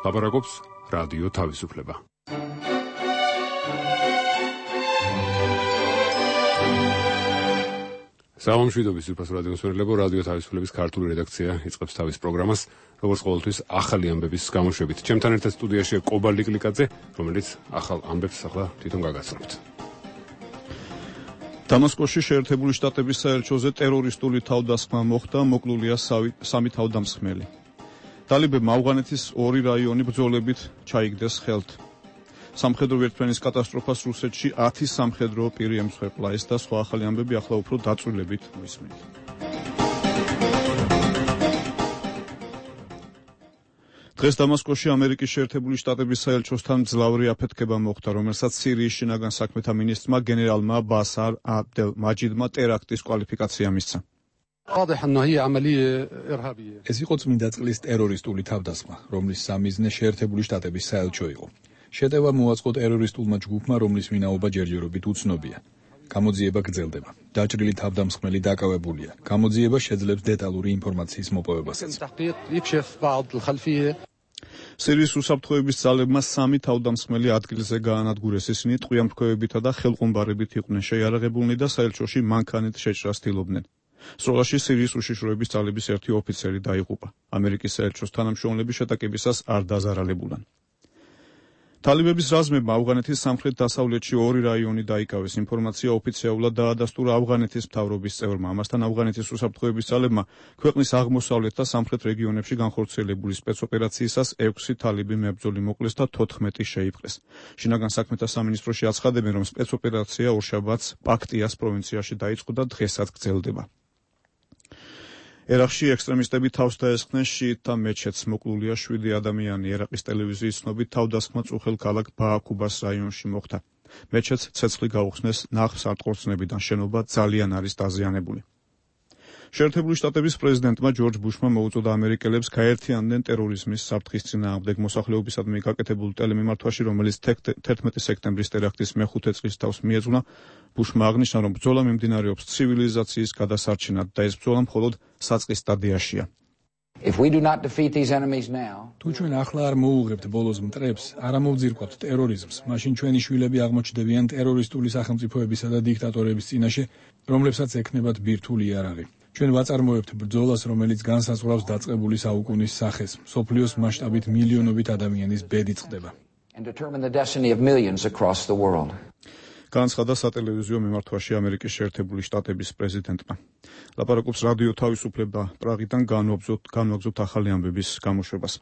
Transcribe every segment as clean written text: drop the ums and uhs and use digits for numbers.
ლაპარაკობს რადიო თავისუფლება. სამშვიდობის უფროს რადიოს მერლებო, რადიო თავისუფლების ქართული რედაქცია იწყებს თავის პროგრამას, როგორც ყოველთვის ახალი ამბების გამოშვებით. ჩემთან ერთად სტუდიაშია კობა ლიკლიკაძე, რომელიც ახალ ამბებს ახლა თვითონ გაგაცნობთ. დამასკოში შეერთებული შტატების საელჩოზე ტერორისტული თავდასხმა მოხდა, მოკლულია სამი თავდამსხმელი. ტალიბებმა ავღანეთის 2 რაიონი ბრძოლებით ჩაიგდეს ხელთ. სამხედრო ვერტმფრენის კატასტროფას რუსეთში 10 სამხედრო პირი ემსხვერპლა. ეს და სხვა ახალი ამბები ახლა უფრო დაწვრილებით მისმენთ. დღეს დამასკოში ამერიკის შეერთებული შტატების საელჩოსთან მძლავრი აფეთქება მოხდა, რომელსაც სირიის შინაგან საქმეთა მინისტრმა გენერალმა ბასარ აბდელ მაჯიდმა ტერაქტის კვალიფიკაცია მისცა. ეს იყო წმინდა წყლის ტერორისტული თავდასხმა, რომლის სამიზნე შეერთებული შტატების საელჩო იყო. შეტევა მოაწყო ტერორისტულმა ჯგუფმა, რომლის ვინაობა ჯერჯერობით უცნობია. გამოძიება გრძელდება. დაჭრილი თავდამსხმელი დაკავებულია. გამოძიება შეძლებს დეტალური ინფორმაციის მოპოვებასაც. სირიის უსაფრთხოების ძალებმა 3 თავდამსხმელი ადგილზე გაანადგურეს. ისინი ტყვიამფრქვევებითა და ხელყუმბარებით იყვნენ შეიარაღებულნი და საელჩოში მანქანით შეჭრას ცდილობდნენ. სროლაში სირიის უშიშროების ძალების ერთი ოფიცერი დაიღუპა. ამერიკის საელჩოს თანამშრომლები შეტაკებისას არ დაზარალებულან. ტალიბების რაზმებმა ავღანეთის სამხრეთ-დასავლეთში 2 რაიონი დაიკავეს. ინფორმაცია ოფიციალურად დაადასტურა ავღანეთის მთავრობის წევრმა. ამასთან ავღანეთის უსაფრთხოების ძალებმა ქვეყნის აღმოსავლეთ და სამხრეთ რეგიონებში განხორციელებული სპეცოპერაციისას 6 ტალიბი მებრძოლი მოკლეს და 14 შეიპყრეს. შინაგან საქმეთა სამინისტროში აცხადებენ, რომ სპეცოპერაცია ორშაბათს პაქტიას პროვინციაში დაიწყო და დღესაც გრძელდება. ერაყში ექსტრემისტები თავს დაესხნენ შიიტთა მეჩეთს. მოკლულია 7 ადამიანი. ერაყის ტელევიზიის ცნობით თავდასხმა წუხელ ქალაქ ბააკუბას რაიონში მოხდა. მეჩეთს ცეცხლი გაუხსნეს ნახსარტყორცნებიდან. შენობა ძალიან არის დაზიანებული. შეერთებული შტატების პრეზიდენტმა ჯორჯ ბუშმა მოუწოდა ამერიკელებს გაერთიანდნენ ტერორიზმის საფრთხის წინააღმდეგ. მოსახლეობისადმი გაკეთებულ ტელემიმართვაში, რომელიც 11 სექტემბრის ტერაქტის მე-5 წლის თავს მიეძღვნა, ბუშმა აღნიშნა, რომ ბრძოლა მიმდინარეობს ცივილიზაციის გადასარჩენად და ეს ბრძოლა მხოლოდ საწყის სტადიაშია. თუ ჩვენ ახლა არ მოუღებთ ბოლოს მტრებს, არ ამოვძირკვავთ ტერორიზმს, მაშინ ჩვენი შვილები აღმოჩნდებიან ტერორისტული სახელმწიფოებისა და დიქტატორების წინაშე, რომლებსაც ექნებათ ბირთვული იარაღი. ჩვენ ვაწარმოებთ ბრძოლას, რომელიც განსაზღვრავს დაწყებული საუკუნის სახეს. მსოფლიოს მასშტაბით მილიონობით ადამიანის ბედი წყდება. განცხადა სატელევიზიო მიმართვაში ამერიკის შეერთებული შტატების პრეზიდენტმა. ლაპარაკობს რადიო თავისუფლება, პრაღიდან განვაგრძობთ ახალი ამბების გამოშვებას.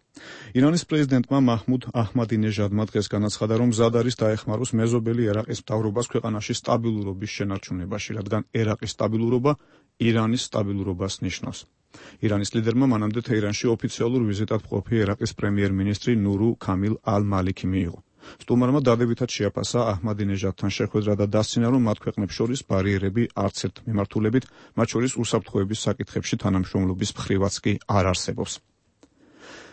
ირანის პრეზიდენტმა მაჰმუდ აჰმადინეჟადმა დღეს განაცხადა, რომ მზად არის დაეხმაროს მეზობელი ერაყის მთავრობას ქვეყანაში სტაბილურობის შენარჩუნებაში, რადგან ერაყის სტაბილურობა ირანის სტაბილურობას ნიშნავს. ირანის ლიდერმა მანამდე თეირანში ოფიციალურ ვიზიტად მყოფი ერაყის პრემიერ-მინისტრი ნურუ ქამილ ალ-მალიკი მიიღო. სტუმარმა დადებითად შეაფასა აჰმადინეჟადთან შეხვედრა და დასცინა, რომ მათ ქვეყნებს შორის ბარიერები არც ერთ მიმართულებით, მათ შორის უსაფრთხოების საკითხებში თანამშრომლობის მხრივაც კი არ არსებობს.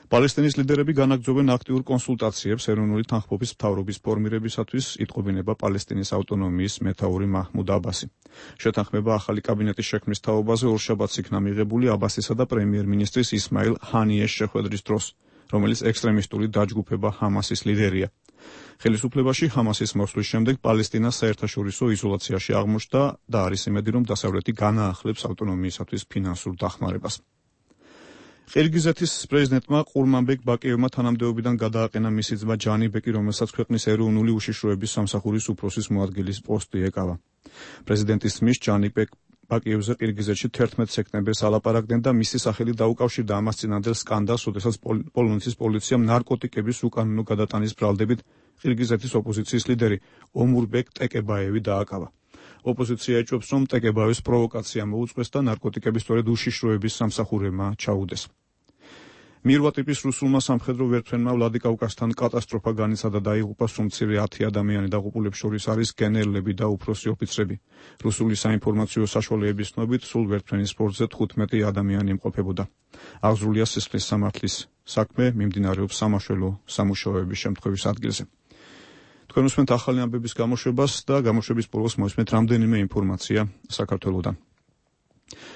პალესტინის ლიდერები განაგრძობენ აქტიურ კონსულტაციებს ეროვნული თანხმობის მთავრობის ფორმირებისათვის, იტყობინება პალესტინის ავტონომიის მეთაური მაჰმუდ აბასი. შეთანხმება ახალი კაბინეტის შექმნის თაობაზე ორშაბათს იქნა მიღებული აბასისა და პრემიერ-მინისტრის ისმაილ ჰანიეს შეხვედრის დროს, რომელიც ექსტრემისტული დაჯგუფება ჰამასის ლიდერია. ხელისუფლებაში ჰამასის მოსვლის შემდეგ პალესტინა საერთაშორისო იზოლაციაში აღმოჩნდა და არის იმედი, რომ დასავლეთი განაახლებს ავტონომიისათვის ფინანსურ დახმარებას. ყირგიზეთის პრეზიდენტმა ყურმანბეკ ბაკიევმა თანამდებობიდან გადააყენა მისი ძმა ჯანიბეკი, რომელსაც ქვეყნის ეროვნული უშიშროების სამსახურის უფროსის მოადგილის პოსტი ეკავა. პრეზიდენტის ძმის ჯანიბეკ ბაკიევზე ყირგიზეთში 11 სექტემბერს ალაპარაკდნენ და მისი სახელი დაუკავშირდა ამას წინანდელ სკანდალს, როდესაც პოლონეთის პოლიციამ ნარკოტიკების უკანონო გადატანის ბრალდებით ყირგიზეთის ოპოზიციის ლიდერი ომურბეკ ტეკებაევი დააკავა. ოპოზიცია ეჭვობს, რომ ტეკებაევის პროვოკაცია მოუწყვეს და ნარკოტიკები სწორედ უშიშროების სამსახურებმა ჩაუდეს. მირვა ტიპის რუსულმა სამხედრო ვერტმფრენმა ვლადიკავკაზთან კატასტროფა განიცადა, დაიღუპა სუმცირე 10 ადამიანი. დაღუპულებს შორის არის გენერლები და უფროსი ოფიცრები. რუსული საინფორმაციო საშუალებების ცნობით, სულ ვერტმფრენის ბორტზე 15 ადამიანი იმყოფებოდა. აღძრულია სისხლის სამართლის საქმე, მიმდინარეობს სამაშველო სამუშაოების შემთხვევის ადგილზე. თქვენ უსმენთ ახალი ამბების გამოშვებას და გამოშვების ბოლოს მოვისმენთ რამდენიმე ინფორმაცია საქართველოდან.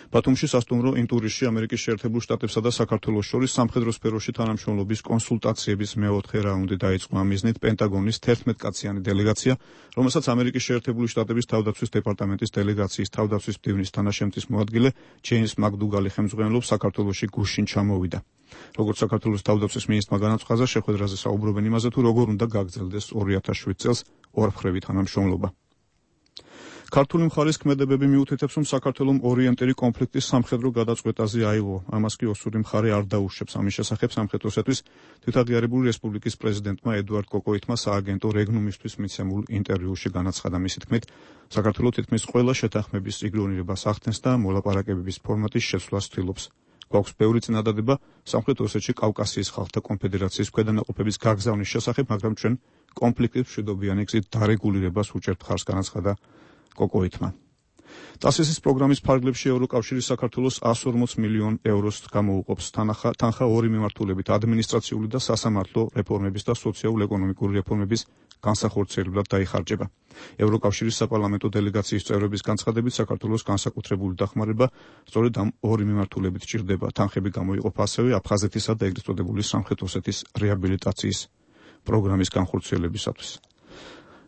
ბათუმში სასტუმრო ინტურისში ამერიკის შეერთებულ შტატებსა და საქართველოს შორის სამხედრო სფეროში თანამშრომლობის კონსულტაციების მეოთხე რაუნდი დაიწყო. ამ მიზნით პენტაგონის 11 კაციანი დელეგაცია, რომელსაც ამერიკის შეერთებული შტატების თავდაცვის დეპარტამენტის დელეგაციის თავდაცვის მდივნის თანაშემწის მოადგილე ჯეიმს მაკდუგალი ხელმძღვანელობს, საქართველოში გუშინ ჩამოვიდა. როგორც საქართველოს თავდაცვის მინისტრმა განაცხადა, შეხვედრაზე საუბრობენ იმაზე, თუ როგორ უნდა გაგრძელდეს 2007 წელს ორმხრივი თანამშრომლობა. ქართული მხარის ქმედებები მიუთითებს, რომ საქართველოს ორიენტირი კონფლიქტის სამხედრო გადაწყვეტაზე აიღო. ამას კი ოსური მხარე არ დაუშვებს. ამის შესახებ სამხედროსათვის თვითაღიარებული რესპუბლიკის პრეზიდენტმა ედუარდ კოკოიტმა სააგენტო რეგნუმისთვის მიცემულ ინტერვიუში განაცხადა. მისი თქმით, საქართველოს თითქმის ყველა შეთანხმების იგნორირებას ახდენს და მოლაპარაკებების ფორმატის შეცვლას ცდილობს. გვაქვს ბევრი წინადადება სამხრეთ ოსეთში კავკასიის ხალხთა კონფედერაციის ქვედანაყოფების გაგზავნის შესახებ, მაგრამ ჩვენ კონფლიქტის მშვიდობიანი გზით დარეგულირებას უჭერთ ხარს, განაცხადა კოკოიტმა. ტასისის პროგრამის ფარგლებში ევროკავშირი საქართველოს 140 მილიონ ევროს გამოუყოფს. თანხა ორი მიმართულებით ადმინისტრაციული და სასამართლო რეფორმების და სოციალურ-ეკონომიკური რეფორმების განსახორციელებლად დაიხარჯება. ევროკავშირის საპარლამენტო დელეგაციის წევრების განცხადებით, საქართველოს განსაკუთრებული დახმარება სწორედ ამ ორი მიმართულებით ჭირდება. თანხები გამოიყოფ ასევე აფხაზეთისა და ეგრეთ წოდებული სამხრეთ ოსეთის რეაბილიტაციის პროგრამის განხორციელებისათვის.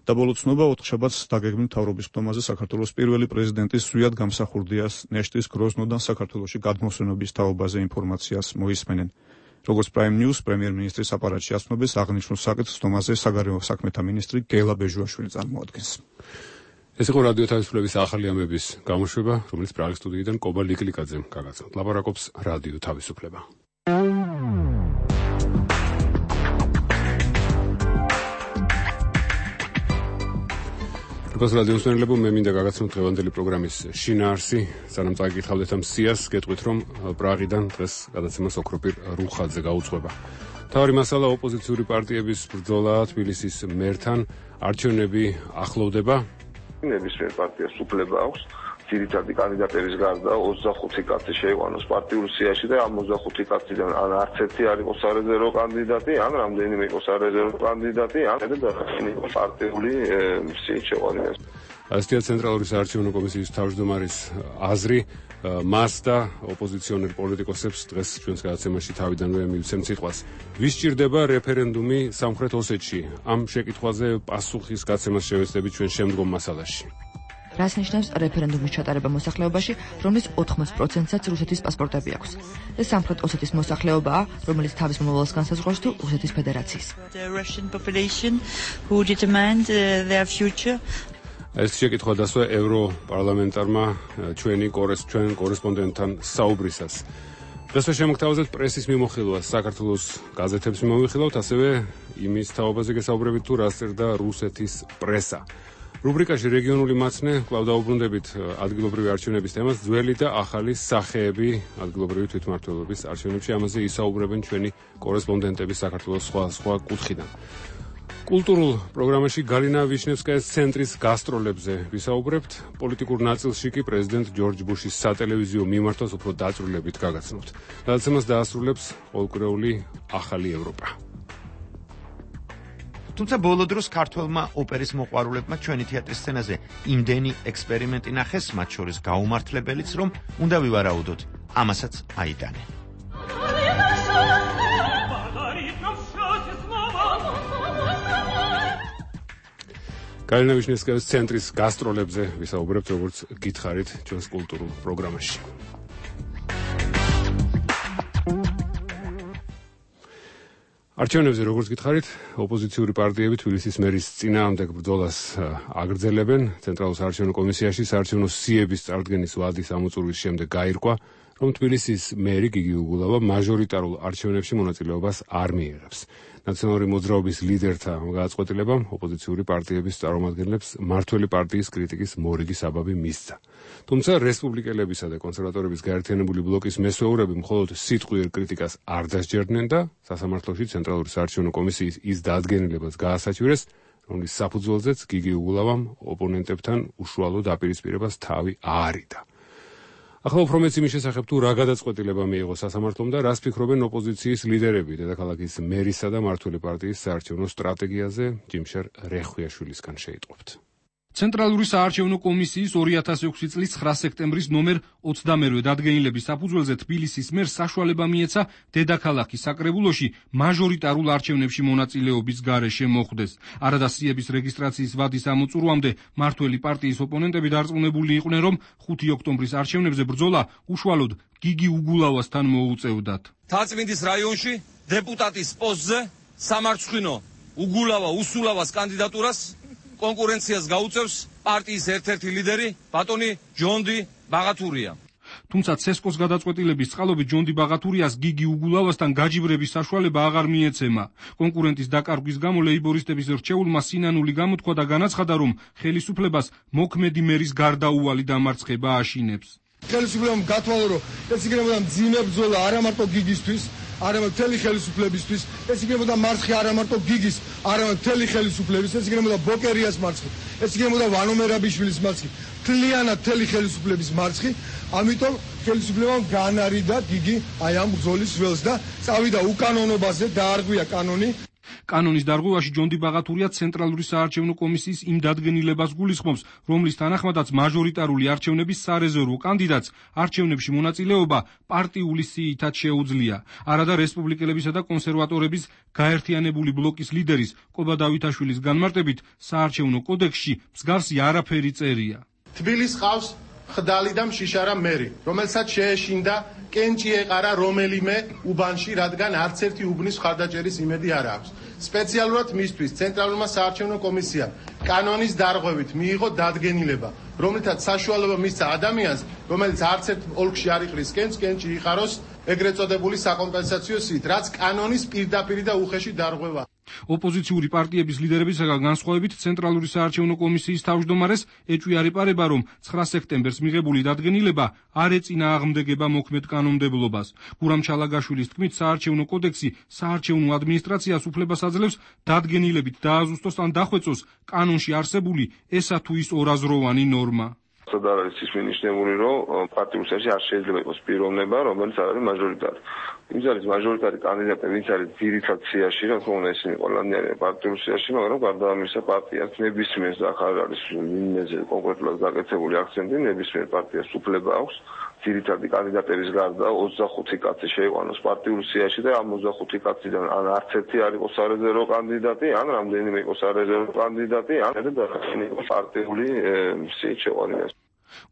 და ბოლო ცნობა, 4 შაბათს დაგეგმილ მთავრობის ხდომაზე საქართველოს პირველი პრეზიდენტის ზვიად გამსახურდია ნეშტის გროზნოდან საქართველოში გადმოსვენობის თაობაზე ინფორმაციას მოისმენენ. როგორც Prime News პრემიერ-მინისტრის აპარატში აცნობს, აღნიშნულ საკითხს ხდომაზე საგარეო საქმეთა მინისტრი გელა ბეჟუაშვილი წარმოადგენს. ეს იყო რადიო თავისუფლების ახალი ამბების გამოშვება, რომელიც პრაღის სტუდიიდან კობა ლიკლიკაძემ გაგაცნოთ. ლაპარაკობს რადიო თავისუფლება. რადიოს მსმენელებო, მე მინდა გაგაცნოთ დღევანდელი პროგრამის შინაარსი. სანამ წაგიკითხავდეთ ამ სიას, გეტყვით, რომ პრაღიდან დღეს გადაცემას ოქროპირ რუხაძე გაუძღვება. მთავარი მასალა ოპოზიციური პარტიების ბრძოლაა თბილისის მერთან. არჩევნები ახლოვდება. ნებისმიერ პარტიას უფლება აქვს ძირითადი კანდიდატების გარდა 25 კაცი შეიყვანოს პარტიულ სიაში და ამ 25 კაციდან ან არც ერთი არ იყოს სარეზერვო კანდიდატი, ან რამდენიმე იყოს სარეზერვო კანდიდატი, ან იყოს პარტიული სიით შეყვანილ. ასეთია ცენტრალური საარჩევნო კომისიის თავმჯდომარის აზრი. მას და ოპოზიციონერ პოლიტიკოსებს დღეს ჩვენს გადაცემაში თავიდანვე მივცემთ სიტყვას. ვის ჭირდება რეფერენდუმი სამხრეთ ოსეთში? ამ შეკითხვაზე პასუხის გაცემას შევეცდებით ჩვენ შემდგომ მასალაში. რას ნიშნავს რეფერენდუმის ჩატარება მოსახლეობაში, რომლის 80%-საც რუსეთის პასპორტები აქვს? ეს სამხრეთ ოსეთის მოსახლეობაა, რომელიც თავის მომავალს განსაზღვრავს თუ რუსეთის ფედერაციის. ეს შეკითხვა დასვა ევროპარლამენტარმა ჩვენ კორესპონდენტთან საუბრისას. დღესვე შემოგთავაზებთ პრესის მიმოხილვას, საქართველოს გაზეთებს მიმოვიხილავთ, ასევე იმის თაობაზე გესაუბრებით თუ რას წერდა რუსეთის პრესა. რუბრიკაში რეგიონული მაცნე კვლავ დაუბრუნდებით ადგილობრივი არჩევნების თემას, ძველი და ახალი სახეები ადგილობრივი თვითმმართველობის არჩევნებში. ამაზე ისაუბრებენ ჩვენი კორესპონდენტები საქართველოს სხვა კუთხიდან. კულტურულ პროგრამაში გალინა ვიშნევსკაის ცენტრის გასტროლებზე ვისაუბრებთ. პოლიტიკურ ნაწილში კი პრეზიდენტ ჯორჯ ბუშის სატელევიზიო მიმართვას უფრო დაწვრილებით გაგაცნობთ. გადაცემას დაასრულებს ყოველკვირეული ახალი ევროპა. თუმცა ბოლო დროს ქართველმა ოპერის მოყვარულებმა ჩვენი თეატრის სცენაზე იმდენი ექსპერიმენტი ნახეს, მათ შორის გაუმართლებელიც, რომ უნდა ვივარაუდოთ, ამასაც აიტანენ. გალინა ვიშნევსკაის ცენტრის გასტროლებზე ვისაუბრებთ, როგორც გითხარით ჩვენს კულტურულ პროგრამაში. არჩევნებზე როგორც გითხარით, ოპოზიციური პარტიები თბილისის მერის წინააღმდეგ ბრძოლას აგრძელებენ. ცენტრალურ საარჩევნო კომისიაში საარჩევნო სიების წარდგენის ვადის ამოწურვის შემდეგ გაირკვა, რომ თბილისის მერი გიგი უგულავა მაჟორიტარულ არჩევნებში მონაწილეობას არ მიიღებს. ნაციონალური მოძრაობის ლიდერთა გადაწყვეტილებამ ოპოზიციური პარტიების წარმომადგენლებს მმართველი პარტიის კრიტიკის მორიგი საბაბი მისცა. თუმცა რესპუბლიკელებისა და კონსერვატორების გაერთიანებული ბლოკის მესვეურები მხოლოდ სიტყვიერ კრიტიკას არ დასჯერდნენ და სასამართლოში ცენტრალური საარჩევნო კომისიის ის დადგენილებას გაასაჩვირეს, რომლის საფუძველზეც გიგი უგულავამ ოპონენტებთან უშუალო დაპირისპირებას თავი აარიდა. ახლა უფრო მეც იმის შესახებ თუ რა გადაწყვეტილება მიიღო სასამართლომ და რას ფიქრობენ ოპოზიციის ლიდერები დედაქალაქის მერისა და მმართველი პარტიის საარჩევნო სტრატეგიაზე, ჯიმშერ რეხვიაშვილისგან შეიტყობთ. ცენტრალური საარჩევნო კომისიის 2006 წლის 9 სექტემბრის ნომერ 22 დადგენილების საფუძველზე თბილისის მერს საშუალება მიეცა დედაქალაქის საკრებულოში მაჟორიტარულ არჩევნებში მონაწილეობის გარეშე მოხვდეს. არადასიების რეგისტრაციის ვადის ამოწურვამდე მართველი პარტიის ოპონენტები დარწმუნებული იყვნენ, რომ 5 ოქტომბრის არჩევნებზე ბრძოლა უშუალოდ გიგი უგულავასთან მოუწევდათ. თაწმინდის რაიონში დეპუტატის პოსტზე სამარცხვინო უგულავა უსულავას კანდიდატურას კონკურენციას გაუწევს პარტიის ერთ-ერთი ლიდერი ბატონი ჯონდი ბაღათურია. თუმცა ცესკოს გადაწყვეტილების წყალობით ჯონდი ბაღათურიას გიგი უგულავასთან გაჯიბრების საშუალება აღარ მიეცემა. კონკურენტის დაკარგვის გამო ლეიბორისტების რჩეულმა სინანული გამოთქვა და განაცხადა, რომ ხელისუფლებას მოქმედი მერის გარდაუვალი დამარცხება აშინებს. ხელისუფლებამ გათვალა, რომ ეს იქნებოდა მძიმე ბრძოლა არა მარტო გიგისთვის, არამედ მთელი ხელისუფლებისთვის, ეს იქნებოდა მარცხი არა მარტო გიგის, არამედ მთელი ხელისუფლების, ეს იქნებოდა ბოკერიას მარცხი, ეს იქნებოდა ვანო მერაბიშვილის მარცხი, მთლიანად მთელი ხელისუფლების მარცხი. ამიტომ ხელისუფლებამ განარიდა გიგი აი ამ ბრძოლის ველს და წავიდა უკანონობაზე, დაარღვია კანონი. კანონის დარღვევაში ჯონდი ბაღათურია ცენტრალური საარჩევნო კომისიის იმ დადგენილებას გულისხმობს, რომლის თანახმადაც მაჟორიტარული არჩევნების სარეზერვო კანდიდატს არჩევნებში მონაწილეობა პარტიული სიითაც შეუძლია. არადა რესპუბლიკელებისა და კონსერვატორების გაერთიანებული ბლოკის ლიდერის კობა დავითაშვილის განმარტებით საარჩევნო კოდექსში მსგავსი არაფერი წერია. თბილის ყავს ხდალი და მშიშარა მერი, რომელსაც შეეშინდა კენჭი ეყარა რომელიმე უბანში, რადგან არც ერთი უბნის ხარდაჭერის იმედი არ აქვს. სპეციალურად მისთვის ცენტრალურმა საარჩევნო კომისიამ კანონის დარღვევით მიიღო დადგენილება, რომლითაც საშუალება მისცა ადამიანს, რომელიც არც ერთ ოლქში არ იყრის კენჭი იყაროს ეგრეთ წოდებული საკომპენსაციო სიით, რაც კანონის პირდაპირი და უხეში დარღვევა. ოპოზიციური პარტიების ლიდერებისაგან განსხვავებით ცენტრალური საარჩევნო კომისიის თავმჯდომარეს ეჭვი არ ეპარება, რომ 9 სექტემბერს მიღებული დადგენილება არ ეწინააღმდეგება მოქმედ კანონმდებლობას. გურამ ჩალაგაშვილის თქმით, საარჩევნო კოდექსი საარჩევნო ადმინისტრაციას უფლებას აძლევს დადგენილებით დააზუსტოს ან დახვეწოს კანონში არსებული ესა თუ ის ორაზროვანი ნორმა. და არის ის მინიშნებული, რომ პარტიულ სიაშე არ შეიძლება იყოს პიროვნება, რომელიც არ არის მაჟორიტარი. ვინც არის მაჟორიტარი კანდიდატი, ვინც არის ძირითად სიაში, რა თქმა უნდა, ისინი ყველანი არიან პარტიულ სიაში, მაგრამ გარდა ამისა პარტიას ნებისმიერ ახალ არის ვინმეზე კონკრეტულად გაკეთებული აქცენტი, ნებისმიერ პარტიას უფლება აქვს ძირითადი კანდიდატების გარდა 25 კაცი შეიყვანოს პარტიულ სიაში და ამ 25 კაციდან ან არც ერთი არ იყოს სარეზერვო კანდიდატი, ან რამდენიმე იყოს სარეზერვო კანდიდატი, ან იყოს პარტიული სიით შეყვანა.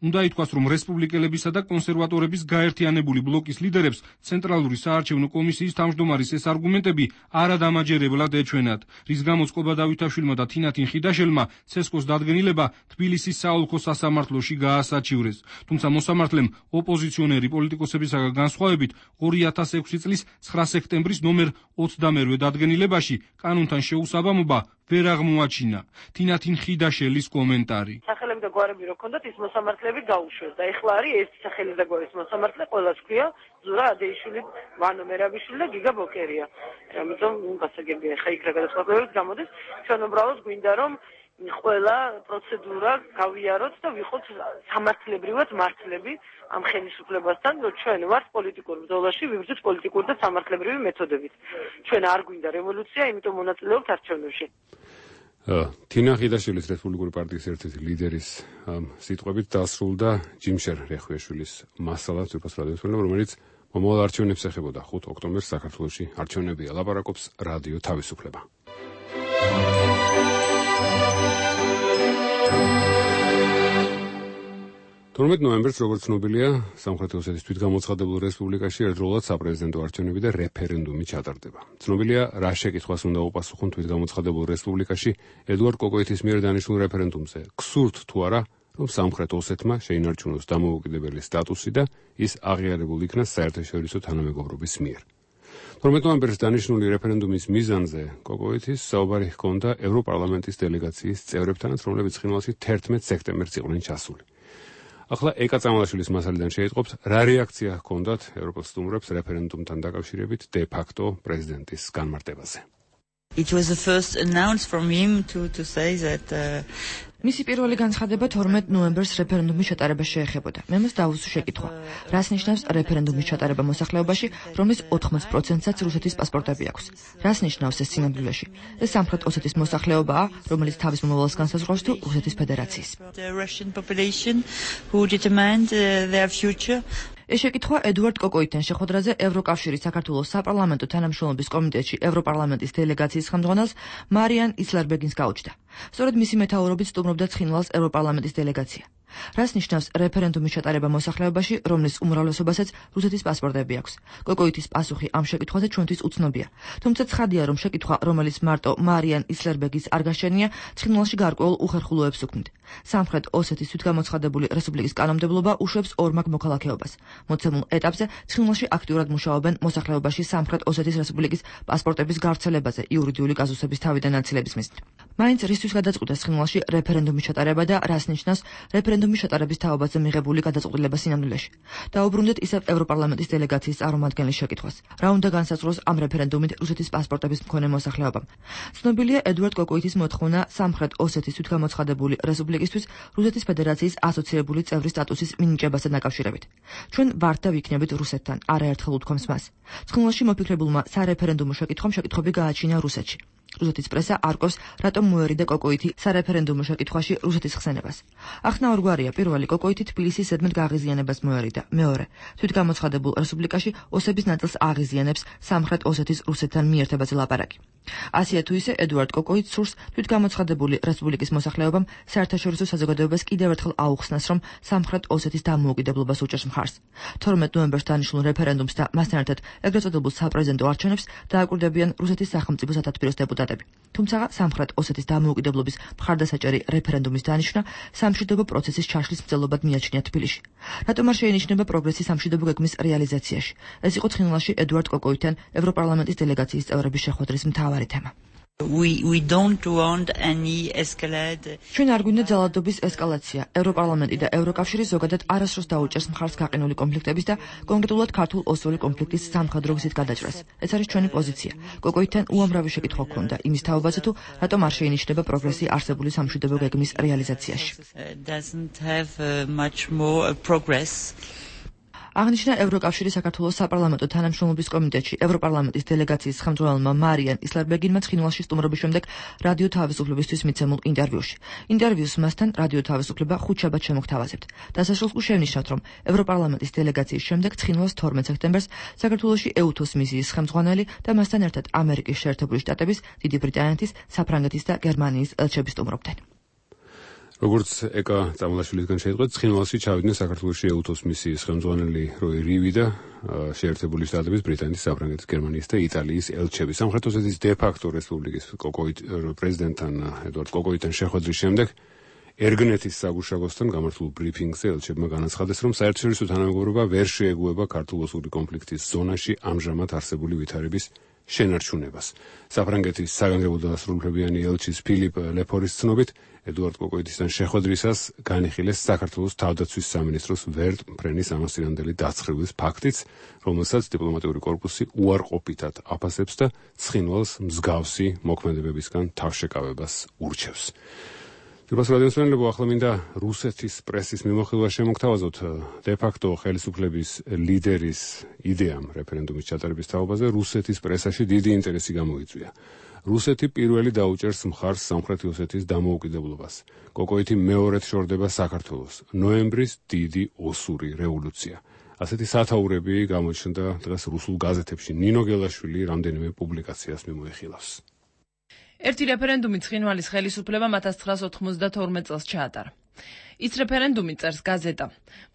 უნდა ითქვას, რომ რესპუბლიკელებისა და კონსერვატორების გაერთიანებული ბლოკის ლიდერებს ცენტრალური საარჩევნო კომისიის თავმჯდომარის ეს არგუმენტები არადამაჯერებლად ეჩვენათ, რის გამოც კობა დავითაშვილმა და თინათინ ხიდაშელმა ცესკოს დადგენილება თბილისის საოლქო სასამართლოში გაასაჩივრეს. თუმცა მოსამართლემ ოპოზიციონერი პოლიტიკოსებისაგან განსხვავებით 2006 წლის 9 სექტემბრის ნომერ 22 დადგენილებაში კანონთან შეუსაბამობა ვერ აღმოაჩინა. თინათინ ხიდაშელის კომენტარი. სახელები და გვარები რო ქონდათ, ის მოსამართლეები გაუშვეს და ეხლა არის ეს სახელი და გვარის მოსამართლე, ყველას ქვია ზურა ადეიშვილი, ვანო მერაბიშვილი და გიგა ბოკერია. ამიტომ გასაგებია ხა იქ რა გადაწყვეტილებებს გამოდის. ჩვენ უბრალოდ გვინდა რომ ყველა პროცედურა გავიაროთ და ვიყოთ სამართლებრივად მართლები ამ ხელისუფლებასთან, რომ ჩვენ ვართ პოლიტიკურ ბრძოლაში, ვიბრძვით პოლიტიკური და სამართლებრივი მეთოდებით. ჩვენ არ გვინდა რევოლუცია, იმიტომ მონაწილეობთ არჩევნებში. თინა ხიდაშვილის რესპუბლიკური პარტიის ერთ-ერთი ლიდერის სიტყვებით დასრულდა ჯიმშერ რეხვიაშვილის მასალა ძვირფას რადიოს ხელმძღვანელმა, რომელიც მომავალ არჩევნებს ეხებოდა 5 ოქტომბერს საქართველოში არჩევნებია. ლაპარაკობს რადიო თავისუფლება. 12 ნოემბერს, როგორც ცნობილია, სამხრეთ ოსეთის თვითგამოცხადებულ რესპუბლიკაში ერთდროულად საპრეზიდენტო არჩევნები და რეფერენდუმი ჩატარდება. ცნობილია, რა შეკითხვას უნდა უპასუხონ თვითგამოცხადებულ რესპუბლიკაში ედუარდ კოკოეთის მიერ დანიშნულ რეფერენდუმზე. გსურთ თუ არა, რომ სამხრეთ ოსეთმა შეინარჩუნოს დამოუკიდებელი სტატუსი და ის აღიარებულ იქნას საერთაშორისო თანამეგობრობის მიერ. 12 ნოემბერს დანიშნული რეფერენდუმის მიზანზე კოკოეთის საუბარი ჰქონდა ევროპარლამენტის დელეგაციის წევრებთანაც, რომლებიც ცხინვალში 11 სექტემბერს იყვნენ ჩასული. ახლა ეკა წამალაშვილის მასალიდან შეიტყობთ, რა რეაქცია ჰქონდათ ევროპელ სტუმრებს რეფერენდუმთან დაკავშირებით de facto პრეზიდენტის განმარტებაზე. It was the first announce from him to say that მისი პირველი განცხადება 12 ნოემბერს რეფერენდუმის ჩატარებას შეეხებოდა. მე მას დავუსვი შეკითხვა. რას ნიშნავს რეფერენდუმის ჩატარება მოსახლეობაში, რომლის 80%-საც რუსეთის პასპორტები აქვს? რას ნიშნავს ეს სინამდვილეში? ეს სამხრეთ ოსეთის მოსახლეობაა, რომელიც თავის მომავალს განსაზღვრავს თუ რუსეთის ფედერაციის. ეს შეკითხვა ედუარდ კოკოითან შეხვედრაზე ევროკავშირის საქართველოს საპარლამენტო თანამშრომლობის კომიტეტში ევროპარლამენტის დელეგაციის ხელმძღვანელს მარიან ისლერბეგინს გაუჩნდა. სწორედ მისი მეთაურობით სტუმრობდა ცხინვალს ევროპარლამენტის დელეგაცია. რას ნიშნავს რეფერენდუმის ჩატარება მოსახლეობაში, რომლის უმრავლესობასაც რუსეთის პასპორტები აქვს? კოკოიტის პასუხი ამ შეკითხვაზე ჩვენთვის უცნობია. თუმცა ცხადია, რომ შეკითხვა, რომელიც მარტო მარიან ისლერბეგის არ გაშენია, ცხინვალში გარკვეულ უხერხულოებს უქმნით. სამხრეთ ოსეთის თვითგამოცხადებული რესპუბლიკის კანონმდებლობა უშვებს ორმაგ მოქალაქეობას. მოცემულ ეტაპზე ცხინვალში აქტიურად მუშაობენ მოსახლეობაში სამხრეთ ოსეთის რესპუბლიკის პასპორტების გავრცელებაზე იურიდიული კაზუსების თავიდან აცილების მიზნით. მაინც რისთვის გადაწყვიტა ცხინვალში რეფერენდუმის ჩატარება და რას ნიშნავს რეფერენდუმის ჩატარების თავობაზე მიღებული გადაწყვეტილება სინამდვილეში. დაუბრუნდეთ ისევ ევროპარლამენტის დელეგაციის წარმომადგენლის შეკითხვას. რა უნდა განსაზღვროს ამ რეფერენდუმით რუსეთის პასპორტების მქონე მოსახლეობამ? ცნობილია ედუარდ კოკოიტის მოთხოვნა სამხრეთ ოსეთის თვითგამოცხადებული რესპუბლიკისთვის რუსეთის ფედერაციის ასოცირებული წევრის სტატუსის მინიჭებასთან დაკავშირებით. ჩვენ ვართ და ვიქნებით რუსეთთან, არაერთხელ უთქვამს მას. ცხინვალში მოფიქრებულმა სარეფერენდუმო შეკითხვამ შეკითხვები გააჩინა რუსეთში. რუსეთის პრესა არკოს, რატომ მოერიდა კოკოიტი სარეფერენდუმო შეკითხვაში რუსეთის ხსენებას. ახსნა ორგვარია. პირველი, კოკოიტი თბილისის ზედმეტ გაღიზიანებას მოერიდა. მეორე, თვითგამოცხადებულ რესპუბლიკაში ოსების ნაწილს აღიზიანებს სამხრეთ ოსეთის რუსეთთან მიერთებაზე ლაპარაკი. ასია თუ ისე, ედუარდ კოკოიტს სურს თვითგამოცხადებული რესპუბლიკის მოსახლეობამ საერთაშორისო საზოგადოებას კიდევ ერთხელ აუხსნას, რომ სამხრეთ ოსეთის დამოუკიდებლობას უჭერს მხარს. 12 ნოემბერს დანიშნულ რეფერენდუმს და მასთან ერთად ეგრეთ წოდებულ საპრეზიდენტო არჩევნებს დააკვირდებიან რუსეთის სახელმწიფო სათათბიროს დეპუტატები. თუმცა სამხრეთ ოსეთის დამოუკიდებლობის მხარდასაჭერი რეფერენდუმის დანიშვნა სამშვიდობო პროცესის ჩაშლის მცდელობად მიაჩნია თბილისში. რატომ არ შეინიშნება პროგრესი სამშვიდობო გეგმის რეალიზაციაში? ეს იყო ცხინვალში ედუარდ კოკოიტთან ევროპარლამენტის დელეგაციის წევრების შეხვედრის მთავარი თემა. We don't want any escalate. ჩვენ არ გვინდა ძალადობის ესკალაცია. ევროპარლამენტი და ევროკავშირი ზოგადად არასდროს დაუჭერს მხარს გაყინული კონფლიქტების და კონკრეტულად ქართულ-ოსური კონფლიქტის სამხედრო გზით გადაჭრას. ეს არის ჩვენი პოზიცია. კოკოიტთან უამრავი შეკითხვა ჰქონდა იმის თაობაზე თუ რატომ არ შეინიშნება პროგრესი არსებული სამშვიდობო გეგმის რეალიზაციაში. Doesn't have much more progress. აღნიშნა ევროკავშირის საქართველოს საპარლამენტო თანამშრომლობის კომიტეტში ევროპარლამენტის დელეგაციის ხელმძღვანელმა მარიან ისლერბეგინმა ცხინვალში სტუმრობის შემდეგ რადიო თავისუფლებისთვის მიცემულ ინტერვიუში. ინტერვიუს მასთან რადიო თავისუფლება ხუთშაბათს შემოგთავაზებთ. დასასრულს კი შევნიშნავთ, რომ ევროპარლამენტის დელეგაციის შემდეგ ცხინვალს 12 სექტემბერს საქართველოში ეუთოს მისიის ხელმძღვანელი და მასთან ერთად ამერიკის შეერთებული შტატების, დიდი ბრიტანეთის, საფრანგეთის და გერმანიის ელჩები სტუმრობდნენ. როგორც ეკა წამლაშვილისგან შეიტყვეთ, ცხინვალში ჩავიდნენ საქართველოში ეუთოს მისიის ხელმძღვანელი როი რივი და შეერთებული შტატების, ბრიტანეთის, საფრანგეთის, გერმანიის და იტალიის ელჩები. სამხრეთ ოსეთის დე-ფაქტო რესპუბლიკის პრეზიდენტთან ედუარდ კოკოიტთან შეხვედრის შემდეგ ერგნეთის საგუშაგოსთან გამართულ ბრიფინგზე ელჩებმა განაცხადეს, რომ საერთაშორისო თანამეგობრობა ვერ შეეგუება ქართულ-ოსური კონფლიქტის ზონაში ამჟამად არსებული ვითარების შენარჩუნებას. საფრანგეთის საგანგებო დასრულებიანი ელჩის ფილიპ ლეფორის ცნობით, ედუარდ კოკოიტისთან შეხვედრისას განიხილეს საქართველოს თავდაცვის სამინისტროს ვერტ ფრენის ამასწინებელი დაცხრების ფაქტიც, რომელსაც დიპლომატიური კორპუსი უარყოფითად აფასებს და ცხინვალს მსგავსი მოქმედებებისგან თავშეკავებას ურჩევს. Ძირფას რადიოსმენელებო, ახლა მინდა რუსეთის პრესის მიმოხილვა შემოგთავაზოთ დე-ფაქტო ხელისუფლების ლიდერის იდეამ რეფერენდუმის ჩატარების თაობაზე რუსეთის პრესაში დიდი ინტერესი გამოიწვია. რუსეთი პირველი დაუჭერს მხარს სამხრეთ ოსეთის დამოუკიდებლობას. კოკოიტი მეორედ შორდება საქართველოს. ნოემბრის დიდი ოსური რევოლუცია. ასეთი სათაურები გამოჩნდა დღეს რუსულ გაზეთებში. ნინო გელაშვილი რამდენიმე პუბლიკაციას მიმოიხილავს. ერთი რეფერენდუმი ცხინვალის ხელისუფლებამ 1992 წელს ჩაატარა. ის რეფერენდუმი წერს გაზეტა.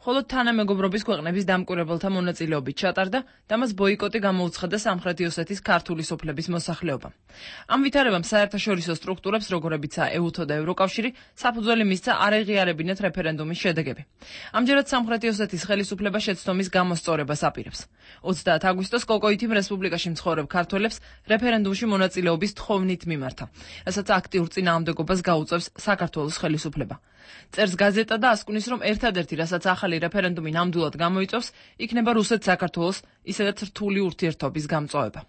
მხოლოდ თანამეგობრობის ქვეყნების დამკვირვებელთა მონაწილეობით ჩატარდა და მას ბოიკოტი გამოუცხადა სამხრეთი ოსეთის ქართული სოფლების მოსახლეობამ. ამ ვითარებამ საერთაშორისო სტრუქტურებს, როგორებიცაა ეუთო და ევროკავშირი, საფუძველი მისცა არ ეღიარებინათ რეფერენდუმის შედეგები. ამჯერად სამხრეთი ოსეთის ხელისუფლება შეცდომის გამოსწორებას აპირებს. 30 აგვისტოს კოკოიტიმ რესპუბლიკაში მცხოვრებ ქართველებს რეფერენდუმში მონაწილეობის თხოვნით მიმართა, რასაც აქტიურ წინააღმდეგობას გაუწევს საქართველოს ხელისუფლება. წერს გაზეტა და ასკვნის, რომ ერთადერთი, რასაც ახალი რეფერენდუმი ნამდვილად გამოიწვევს, იქნება რუსეთ-საქართველოს, ისედაც რთული ურთიერთობის გამწვავება.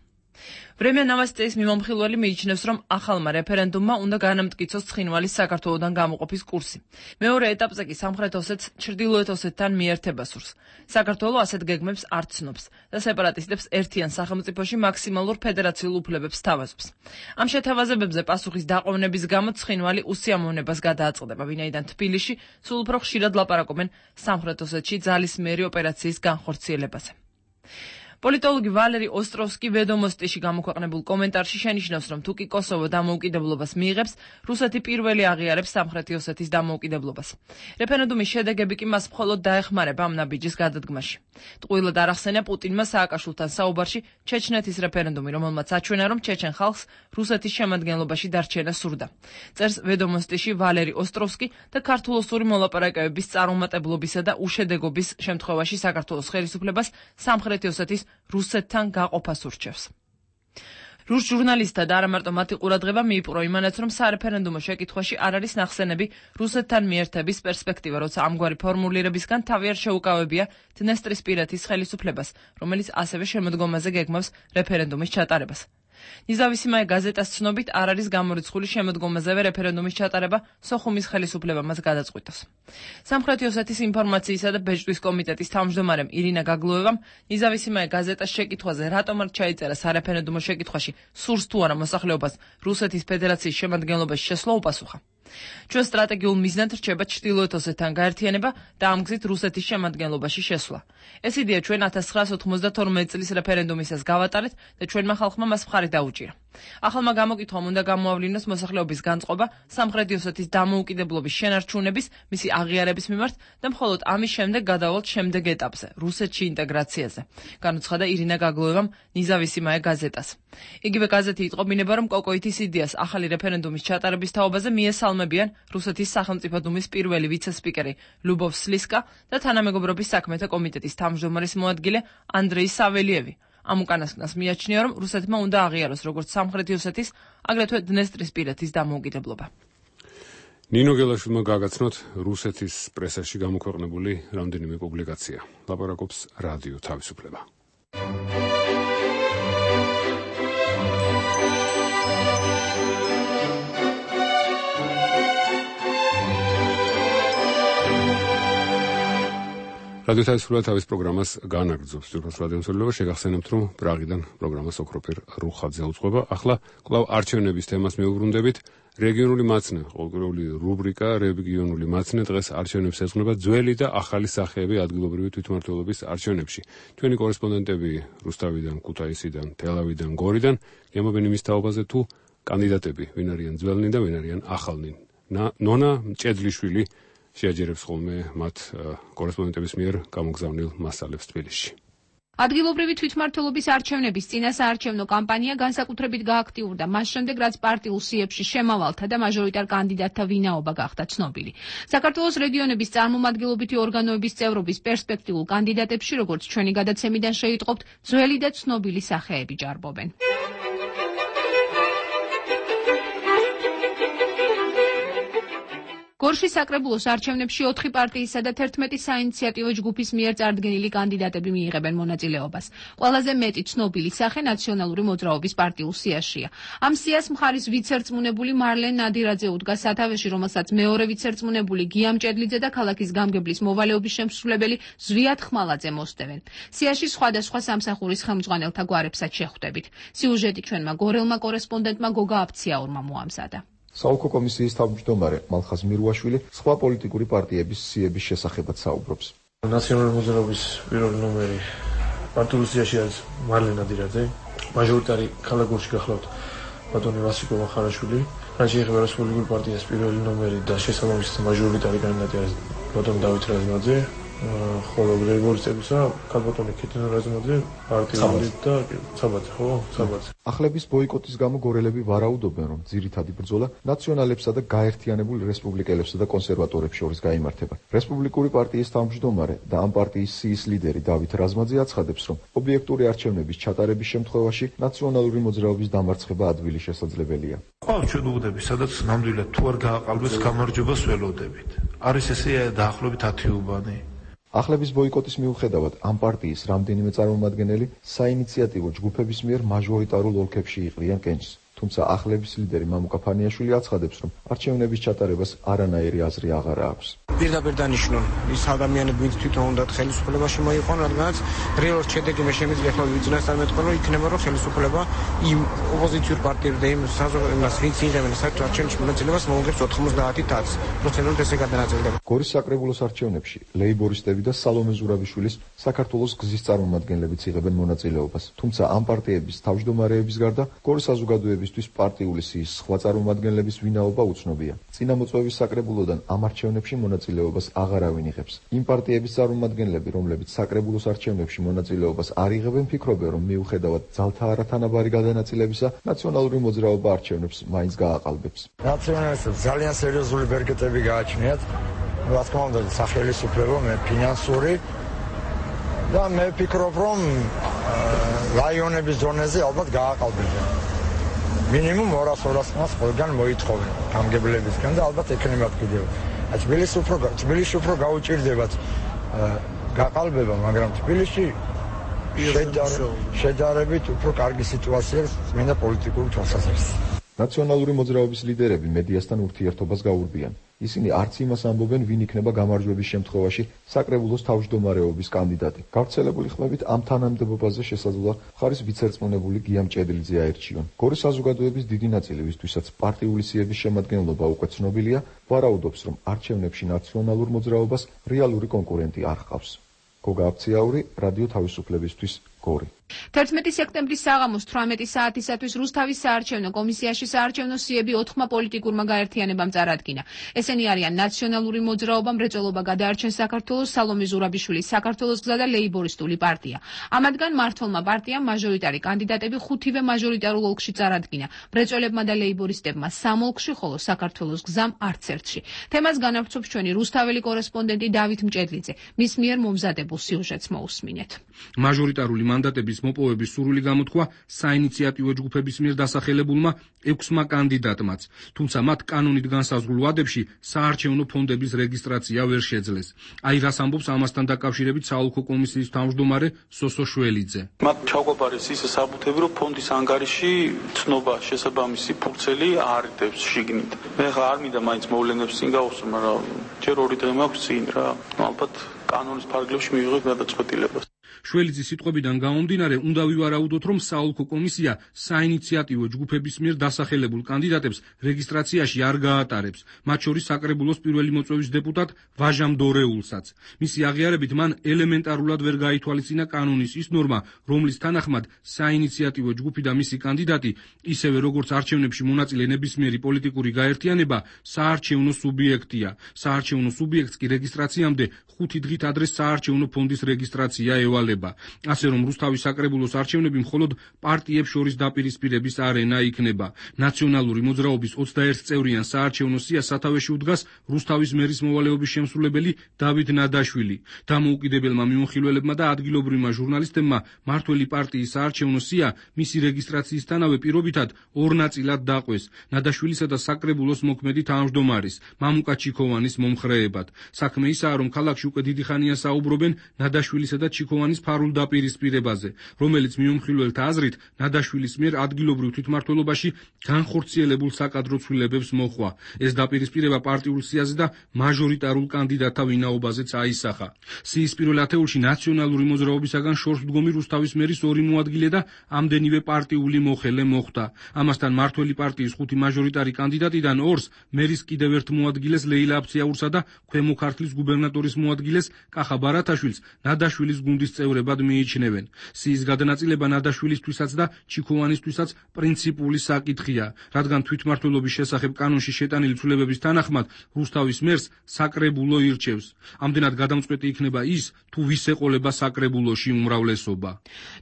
Vremia Novostey's მიმომხილველი მიიჩნევს, რომ ახალმა რეფერენდუმმა უნდა განამტკიცოს ცხინვალის საქართველოდან გამოყოფის კურსი. მეორე ეტაპზე კი სამხრეთ ოსეთს ჩრდილოეთ ოსეთთან მიერთება სურს. საქართველო ასეთ გეგმებს არ ცნობს და სეპარატისტებს ერთიან სახელმწიფოში მაქსიმალურ ფედერაციულ უფლებებს თავაზობს. ამ შეთავაზებებზე პასუხის დაყოვნების გამო ცხინვალი უსიამოვნებას გადააწყდება, ვინაიდან თბილისში სულ უფრო ხშირად ლაპარაკობენ სამხრეთ ოსეთში ძალისმიერი ოპერაციის განხორციელებაზე. პოლიტოლოგი ვალერი ოსტროვსკი ვედომოსტიში გამოქვეყნებულ კომენტარში შენიშნავს, რომ თუკი კოსოვო დამოუკიდებლობას მიიღებს, რუსეთი პირველი აღიარებს სამხრეთი ოსეთის დამოუკიდებლობას. რეფერენდუმის შედეგები კი მას მხოლოდ დაეხმარება ამ ნაბიჯის გადადგმაში. ტყუილად არ ახსენია პუტინმა სააკაშვილთან საუბარში ჩეჩნეთის რეფერენდუმი, რომელმაც აჩვენა, რომ ჩეჩენ ხალხს რუსეთის შემადგენლობაში დარჩენა სურდა. წერს ვედომოსტიში ვალერი ოსტროვსკი და ქართულოსური მოლაპარაკებების წარუმატებლობისა და უშედეგობის შემთხვევაში საქართველოს ხელისუფლებას სამხრეთი ოსეთის რუსეთთან გაყოფას ურჩევს. რუს ჟურნალისტთა და არა მარტო მათი ყურადღება მიიპყრო იმანაც, რომ სარეფერენდუმო შეკითხვაში არ არის ნახსენები რუსეთთან მიერთების პერსპექტივა, როცა ამგვარი ფორმულირებისგან თავი არ შეუკავებია დნესტრისპირეთის ხელისუფლებას, რომელიც ასევე შემოდგომაზე გეგმავს რეფერენდუმის ჩატარებას. ნიზავისიმაე გაზეტას ცნობით არ არის გამორიცხული შემოდგომაზევე რეფერენდუმის ჩატარება სოხუმის ხელისუფლებამაც გადაწყვიტოს. სამხრეთი ოსეთის ინფორმაციისა და ბეჭდვის კომიტეტის თავმჯდომარემ ირინა გაგლოევამ ნიზავისიმაე გაზეტას შეკითხვაზე, რატომ არ ჩაიწერა სარეფერენდუმო შეკითხვაში სურს თუ არა მოსახლეობას რუსეთის ფედერაციის შემადგენლობაში შესვლა, უპასუხა. ჩვენ სტრატეგიულ მიზნად რჩება ჩრდილოეთ ოსეთთან გაერთიანება და ამ გზით რუსეთის შემადგენლობაში შესვლა. ეს იდეა ჩვენ 1992 წლის რეფერენდუმისას გავატარეთ და ჩვენმა ხალხმა მას მხარი დაუჭირა. ახალმა გამოკითხვამ უნდა გამოავლინოს მოსახლეობის განწყობა სამხრეთი ოსეთის დამოუკიდებლობის შენარჩუნების, მისი აღიარების მიმართ და მხოლოდ ამის შემდეგ გადავალთ შემდეგ ეტაპზე, რუსეთში ინტეგრაციაზე, განუცხადა ირინა გაგლოევამ ნიზავისიმაე გაზეტას. იგივე გაზეთი იტყობინება, რომ კოკოითის იდეას ახალი რეფერენდუმის ჩატარების თაობაზე მიესალმებიან რუსეთის სახელმწიფო დუმის პირველი ვიცე-სპიკერი ლუბოვ სლისკა და თანამეგობრობის საქმეთა კომიტეტის თავმჯდომარის მოადგილე ანდრეი საველიევი. ამ უკანასკნელს მიაჩნია, რომ რუსეთმა უნდა აღიაროს როგორც სამხრეთი ოსეთის, აგრეთვე დნესტრისპირეთის დამოუკიდებლობა. ნინო გელაშვილმა გაგაცნოთ რუსეთის პრესაში გამოქვეყნებული რამდენიმე პუბლიკაცია. ლაპარაკობს რადიო თავისუფლება. რადიო თავისუფლება თავის პროგრამას განაგრძობს. ძვირფას რადიო მსვლელობა შეგახსენებთ, რომ პრაღიდან პროგრამას ოქროფერ რუხაძე უძღვება. ახლა კვლავ არჩევნების თემას მივუბრუნდებით. რეგიონული მაცნე, ყოველკვირეული რუბრიკა რეგიონული მაცნე დღეს არჩევნებს ეძღვნება ძველი და ახალი სახეები ადგილობრივი თვითმმართველობის არჩევნებში. ჩვენი კორესპონდენტები რუსთავიდან, ქუთაისიდან, თელავიდან, გორიდან გემობენ იმის თაობაზე, თუ კანდიდატები ვინ არიან ძველნი და ვინ არიან ახალნი. ნონა მჭედლიშვილი შეაჯერებს ხოლმე მათ კორესპონდენტების მიერ გამოგზავნილ მასალებს თბილისში. ადგილობრივი თვითმმართველობის არჩევნების წინა საარჩევნო კამპანია განსაკუთრებით გააქტიურდა მას შემდეგ, რაც პარტიულ სიებში შემავალთა და მაჟორიტარ კანდიდატთა ვინაობა გახდა ცნობილი. საქართველოს რეგიონების წარმომადგენლობითი ორგანოების წევრობის პერსპექტიულ კანდიდატებში, როგორც ჩვენი გადაცემიდან შეიტყობთ, ძველი და ცნობილი სახეები ჭარბობენ. გორში საკრებულოს არჩევნებში 4 პარტიისა და 11 საინიციატივო ჯგუფის მიერ წარდგენილი კანდიდატები მიიღებენ მონაწილეობას. ყველაზე მეტი ცნობილი სახე ნაციონალური მოძრაობის პარტიულ სიაშია. ამ სიას მხარის ვიცერწმუნებული მარლენ ნადირაძე უდგა სათავეში, რომელსაც მეორე ვიცერწმუნებული გია მჭედლიძე და ქალაქის გამგებლის მოვალეობის შემსრულებელი ზვიად ხმალაძე მოსდევენ. სიაში სხვადასხვა სამსახურის ხელმძღვანელთა გვარებსაც შეხვდებით. სიუჟეტი ჩვენმა გორელმა კორესპონდენტმა გოგა აფციაურმა მოამზადა. საოლქო კომისიის თავმჯდომარე მალხაზ მირუაშვილი სხვა პოლიტიკური პარტიების სიების შესახებაც საუბრობს. ნაციონალური მოძრაობის პირველი ნომერი პარტიულ სიაში არის მარლენ ნადირაძე, მაჟორიტარი ქალაქ გორში გახლავთ ბატონი ვასილ მახარაშვილი, რაც შეეხება რესპუბლიკური პარტიის პირველი ნომერი და შესაბამისად მაჟორიტარი კანდიდატი არის ბატონი დავით რაზმაძე, ხოლო რეგულირებისა ქალბატონი ქეთინო რაზმაძე პარტიული და საბაძე, ხო? საბაძე. ახლების ბოიკოტის გამო გორელები ვარაუდობენ, რომ ძირითადი ბრძოლა ნაციონალებსა და გაერთიანებულ რესპუბლიკელებსა და კონსერვატორებს შორის გაიმართება. რესპუბლიკური პარტიის თავმჯდომარე და ამ პარტიის სიის ლიდერი დავით რაზმაძე აცხადებს, რომ ობიექტური არჩევნების ჩატარების შემთხვევაში ნაციონალური მოძრაობის დამარცხება ადვილი შესაძლებელია. ყავს ჩვენ უღდები, სადაც ნამდვილად თუ არ გააყალბეს გამარჯვებას ველოდებით. არის ესე დაახლოებით 10 უბანი. ახლების ბოიკოტის მიუხედავად ამ პარტიის რამდენიმე წარმომადგენელი საინიციატივო ჯგუფების მიერ მაჟორიტარულ ოლქებში იყრიან კენჭს. თუმცა ახლების ლიდერი მამუკა ფანიაშვილი აცხადებს, რომ არჩევნების ჩატარებას არანაირი აზრი აღარ აქვს. პირდაპირ დანიშნულ ის ადამიანები, ვინც თვითონ უნდათ ხელისუფლებაში მოიყვანონ, რადგანაც რეალურად შედეგი მე შემიძლია ხოლმე ვიძინასთან მეტყვი, რომ იქნება რომ ხელისუფლება იმ ოპოზიციურ პარტიებს და იმ საზოგადოებას, ვინც იღებენ საერთო არჩევნებში მონაწილეობას, მოუღებს 90%. პროცენტულად ესე გადანაწილდება. გორის საკრებულოს არჩევნებში ლეიბორისტები და სალომე ზურაბიშვილის საქართველოს გზის წარმომადგენლებიც იღებენ მონაწილეობას. თუმცა ამ პარტიების თავმჯდომარეების გარდა გორის საზოგადოებისთვის პარტიული სიის სხვა წარმომადგენლების ვინაობა უცნობია. წინამოწვევის საკრებულოდან ამ არჩევნებში მონაწილეობას აღარავინ იღებს. იმ პარტიების წარმომადგენლები, რომლებიც საკრებულოს არჩევნებში მონაწილეობას არ იღებენ, ფიქრობენ, რომ მიუხედავად ძალთა არათანაბარი გადანაწილებისა, ნაციონალური მოძრაობა არჩევნებს მაინც გააყალბებს. ნაციონალისტებს ძალიან სერიოზული ბერკეტები გააჩნიათ. რა თქმა უნდა, სახელმწიფო, მე ფინანსური და მე ვფიქრობ, რომ რაიონების ზონაზე ალბათ გააყალბებენ. მინიმუმ 200-300 მას ყველგან მოითხოვენ გამგებლებისგან და ალბათ ექნებათ კიდევ. თბილისში უფრო გაუჭირდებათ გაყალბება, მაგრამ თბილისში შედარებით უფრო კარგი სიტუაცია წმინდა პოლიტიკური თვალსაზრისით. ნაციონალური მოძრაობის ლიდერები მედიასთან ურთიერთობას გაურბიან. ისინი არც იმას ამბობენ, ვინ იქნება გამარჯვების შემთხვევაში საკრებულოს თავმჯდომარეობის კანდიდატი. გავრცელებული ხმებით ამ თანამდებობაზე შესაძლოა მხარის ვიცერწმუნებული გია მჭედლიძე აერჩიონ. გორის საზოგადოების დიდი ნაწილი, ვისთვისაც პარტიული სიების შემადგენლობა უკვე ცნობილია, ვარაუდობს, რომ არჩევნებში ნაციონალურ მოძრაობას რეალური კონკურენტი არ ჰყავს. გოგა აფციაური, რადიო თავისუფლებისთვის, გორი. 11 სექტემბრის საღამოს 18 საათისათვის რუსთავის საარჩევნო კომისიაში საარჩევნო სიები 4 პოლიტიკურმა გაერთიანებამ წარადგინა. ესენი არიან ნაციონალური მოძრაობა, მრეწველობა გადაარჩენს საქართველოს, სალომე ზურაბიშვილის საქართველოს გზა და ლეიბორისტული პარტია. ამათგან მმართველმა პარტიამ მაჟორიტარი კანდიდატები 5-ვე მაჟორიტარულ ოლქში წარადგინა. მრეწველებმა და ლეიბორისტებმა 3 ოლქში, ხოლო საქართველოს გზამ არც ერთში. თემას განავრცობს ჩვენი რუსთაველი კორესპონდენტი დავით მჭედლიძე. მის მიერ მომზადებულ სიუჟეტს მოусმინეთ. მაჟორიტარული მანდატების მოპოვების სურვილი გამოთქვა საინიციატივო ჯგუფების მიერ დასახელებულმა 6-მა კანდიდატმაც, თუმცა მათ კანონით განსაზღვრულ ვადებში საარჩევნო ფონდების რეგისტრაცია ვერ შეძლეს. აი რას ამბობს ამასთან დაკავშირებით საოლქო კომისიის თავმჯდომარე სოსო შველიძე. მათ ჩაუყარეს ის საბუთები, რომ ფონდის ანგარიში ცნობა შესაბამისი ფურცელი არ იდებს შიგნით. მე ხა არ მინდა მაინც მოვლენებს წინ გავუსწრო, მაგრამ ჯერ 2 დღე მაქვს წინ რა. ალბათ კანონის ფარგლებში მივიღებ გადაწყვეტილებას. შველიძის სიტყვებიდან გამომდინარე, უნდა ვივარაუდოთ, რომ საოლქო კომისია საინიციატივო ჯგუფების მიერ დასახელებულ კანდიდატებს რეგისტრაციაში არ გაატარებს, მათ შორის საკრებულოს პირველი მოწვევის დეპუტატ ვაჟამ დორეულსაც. მისი აღიარებით მან ელემენტარულად ვერ გაითვალისწინა კანონის ის ნორმა, რომლის თანახმად საინიციატივო ჯგუფი და მისი კანდიდატი, ისევე როგორც არჩევნებში მონაწილე ნებისმიერი პოლიტიკური გაერთიანება, საარჩევნო სუბიექტია. საარჩევნო სუბიექტს კი რეგისტრაციამდე 5 დღით ადრე საარჩევნო ფონდის რეგისტრაცია ევალება. ასე რომ რუსთავის საკრებულოს არჩევნები მხოლოდ პარტიებს შორის დაპირისპირების არენა იქნება. ნაციონალური მოძრაობის 21 წევრიან საარჩევნო სიას სათავეში უდგას რუსთავის მერის მოვალეობის შემსრულებელი დავით ნადაშვილი. დამოუკიდებელმა მიმოხილველებმა და ადგილობრივმა ჟურნალისტებმა მართველი პარტიის საარჩევნო სია მისი რეგისტრაციისთანავე პირობითად 2 ნაწილად დაყვეს. ნადაშვილისა და საკრებულოს მოქმედი თავმჯდომარის მამუკა ჩიქოვანის მომხრეებად. საქმე ისაა, რომ ქალაქში უკვე დიდი ხანია საუბრობენ ნადაშვილისა და ჩიქოვანის ფარულ დაპირისპირებაზე, რომელიც მიმოხილველთა აზრით ნადაშვილის მიერ ადგილობრივ თვითმმართველობაში განხორციელებულ საკადრო ცვლილებებს მოჰყვა. ეს დაპირისპირება პარტიულ სიაზე და მაჟორიტარულ კანდიდატთა ვინაობაზეც აისახა. სიის პირველ ათეულში ნაციონალური მოძრაობისაგან შორსმდგომი რუსთავის მერის 2 მოადგილე და ამდენივე პარტიული მოხელე მოხვდა. ამასთან მართველი პარტიის 5 მაჟორიტარი კანდიდატიდან 2-ს მერის კიდევ ერთ მოადგილეს ლეილა აფციაურსა და ქვემო ქართლის გუბერნატორის მოადგილეს კახა ბარათაშვილს ნადაშვილის გუნდის წევრებად მიიჩნევენ. სიის გადანაწილება ნადაშვილისთვისაც და ჩიქოვანისთვისაც პრინციპული საკითხია, რადგან თვითმმართველობის შესახებ კანონში შეტანილი ცვლილებების თანახმად რუსთავის მერს საკრებულო ირჩევს. ამდენად გადამწყვეტი იქნება ის, თუ ვის ეყოლება საკრებულოში უმრავლესობა.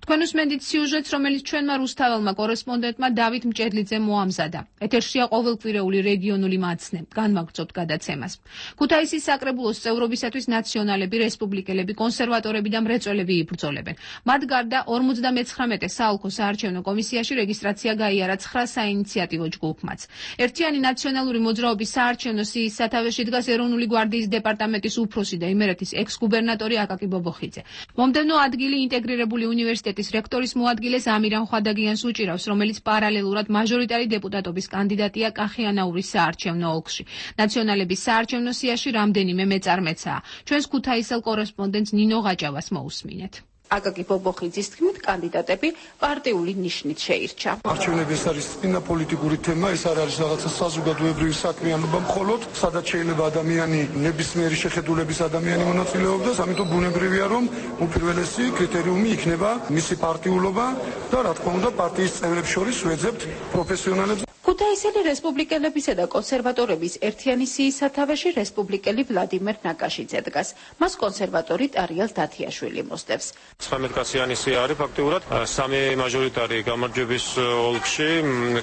თქვენ უსმენთ სიუჟეტს, რომელიც ჩვენმა რუსთაველმა კორესპონდენტმა დავით მჭედლიძემ მოამზადა. ეთერშია ყოველკვირეული რეგიონული მაცნე. განვაგრძობთ გადაცემას. ქუთაისის საკრებულოს წევრობისათვის ნაციონალი ნაციონალები, რესპუბლიკელები, კონსერვატორები და მრეწველები იბრძოლებენ. მათ გარდა 59 საოლქო საარჩევნო კომისიაში რეგისტრაცია გაიარა 9 საინიციატივო ჯგუფმაც. ერთიანი ნაციონალური მოძრაობის საარჩევნო სიის სათავეში დგას ეროვნული გვარდიის დეპარტამენტის უფროსი და იმერეთის ექს-გუბერნატორი აკაკი ბობოხიძე. მომდევნო ადგილი ინტეგრირებული უნივერსიტეტის რექტორის მოადგილეს ამირან ხვადაგიანს უჭირავს, რომელიც პარალელურად მაჟორიტარი დეპუტატობის კანდიდატია კახიანაურის საარჩევნო ოლქში. ნაციონალების საარჩევნო სიაში რამდენიმე მეწარმეცაა. ჩვენს ქუთაისელ კორესპონდენტს ნინო ღაჭავას მოусმინეთ. აკაკი ბობოხიძის თქმით, კანდიდატები პარტიული ნიშნით შეირჩა. არჩევნები ეს არის წინა პოლიტიკური თემა, ეს არ არის რაღაცა საზოგადოებრივი საქმიანობა მხოლოდ, სადაც შეიძლება ადამიანი ნებისმიერი შეხედულების ადამიანი მონაწილეობდეს, ამიტომ ბუნებრივია, რომ უპირველესი კრიტერიუმი იქნება მისი პარტიულობა და რა თქმა უნდა პარტიის წევრებს შორის ვეძებთ პროფესიონალებს. ქუთაისელი რესპუბლიკელებისა და კონსერვატორების ერთიანი სიის სათავეში რესპუბლიკელი ვლადიმერ ნაკაშიძე დგას. მას კონსერვატორი ტარიელ დათიაშვილი მოსდევს. 19 კაციანი სია არის ფაქტიურად 3 მაჟორიტარი გამარჯვების ოლქში,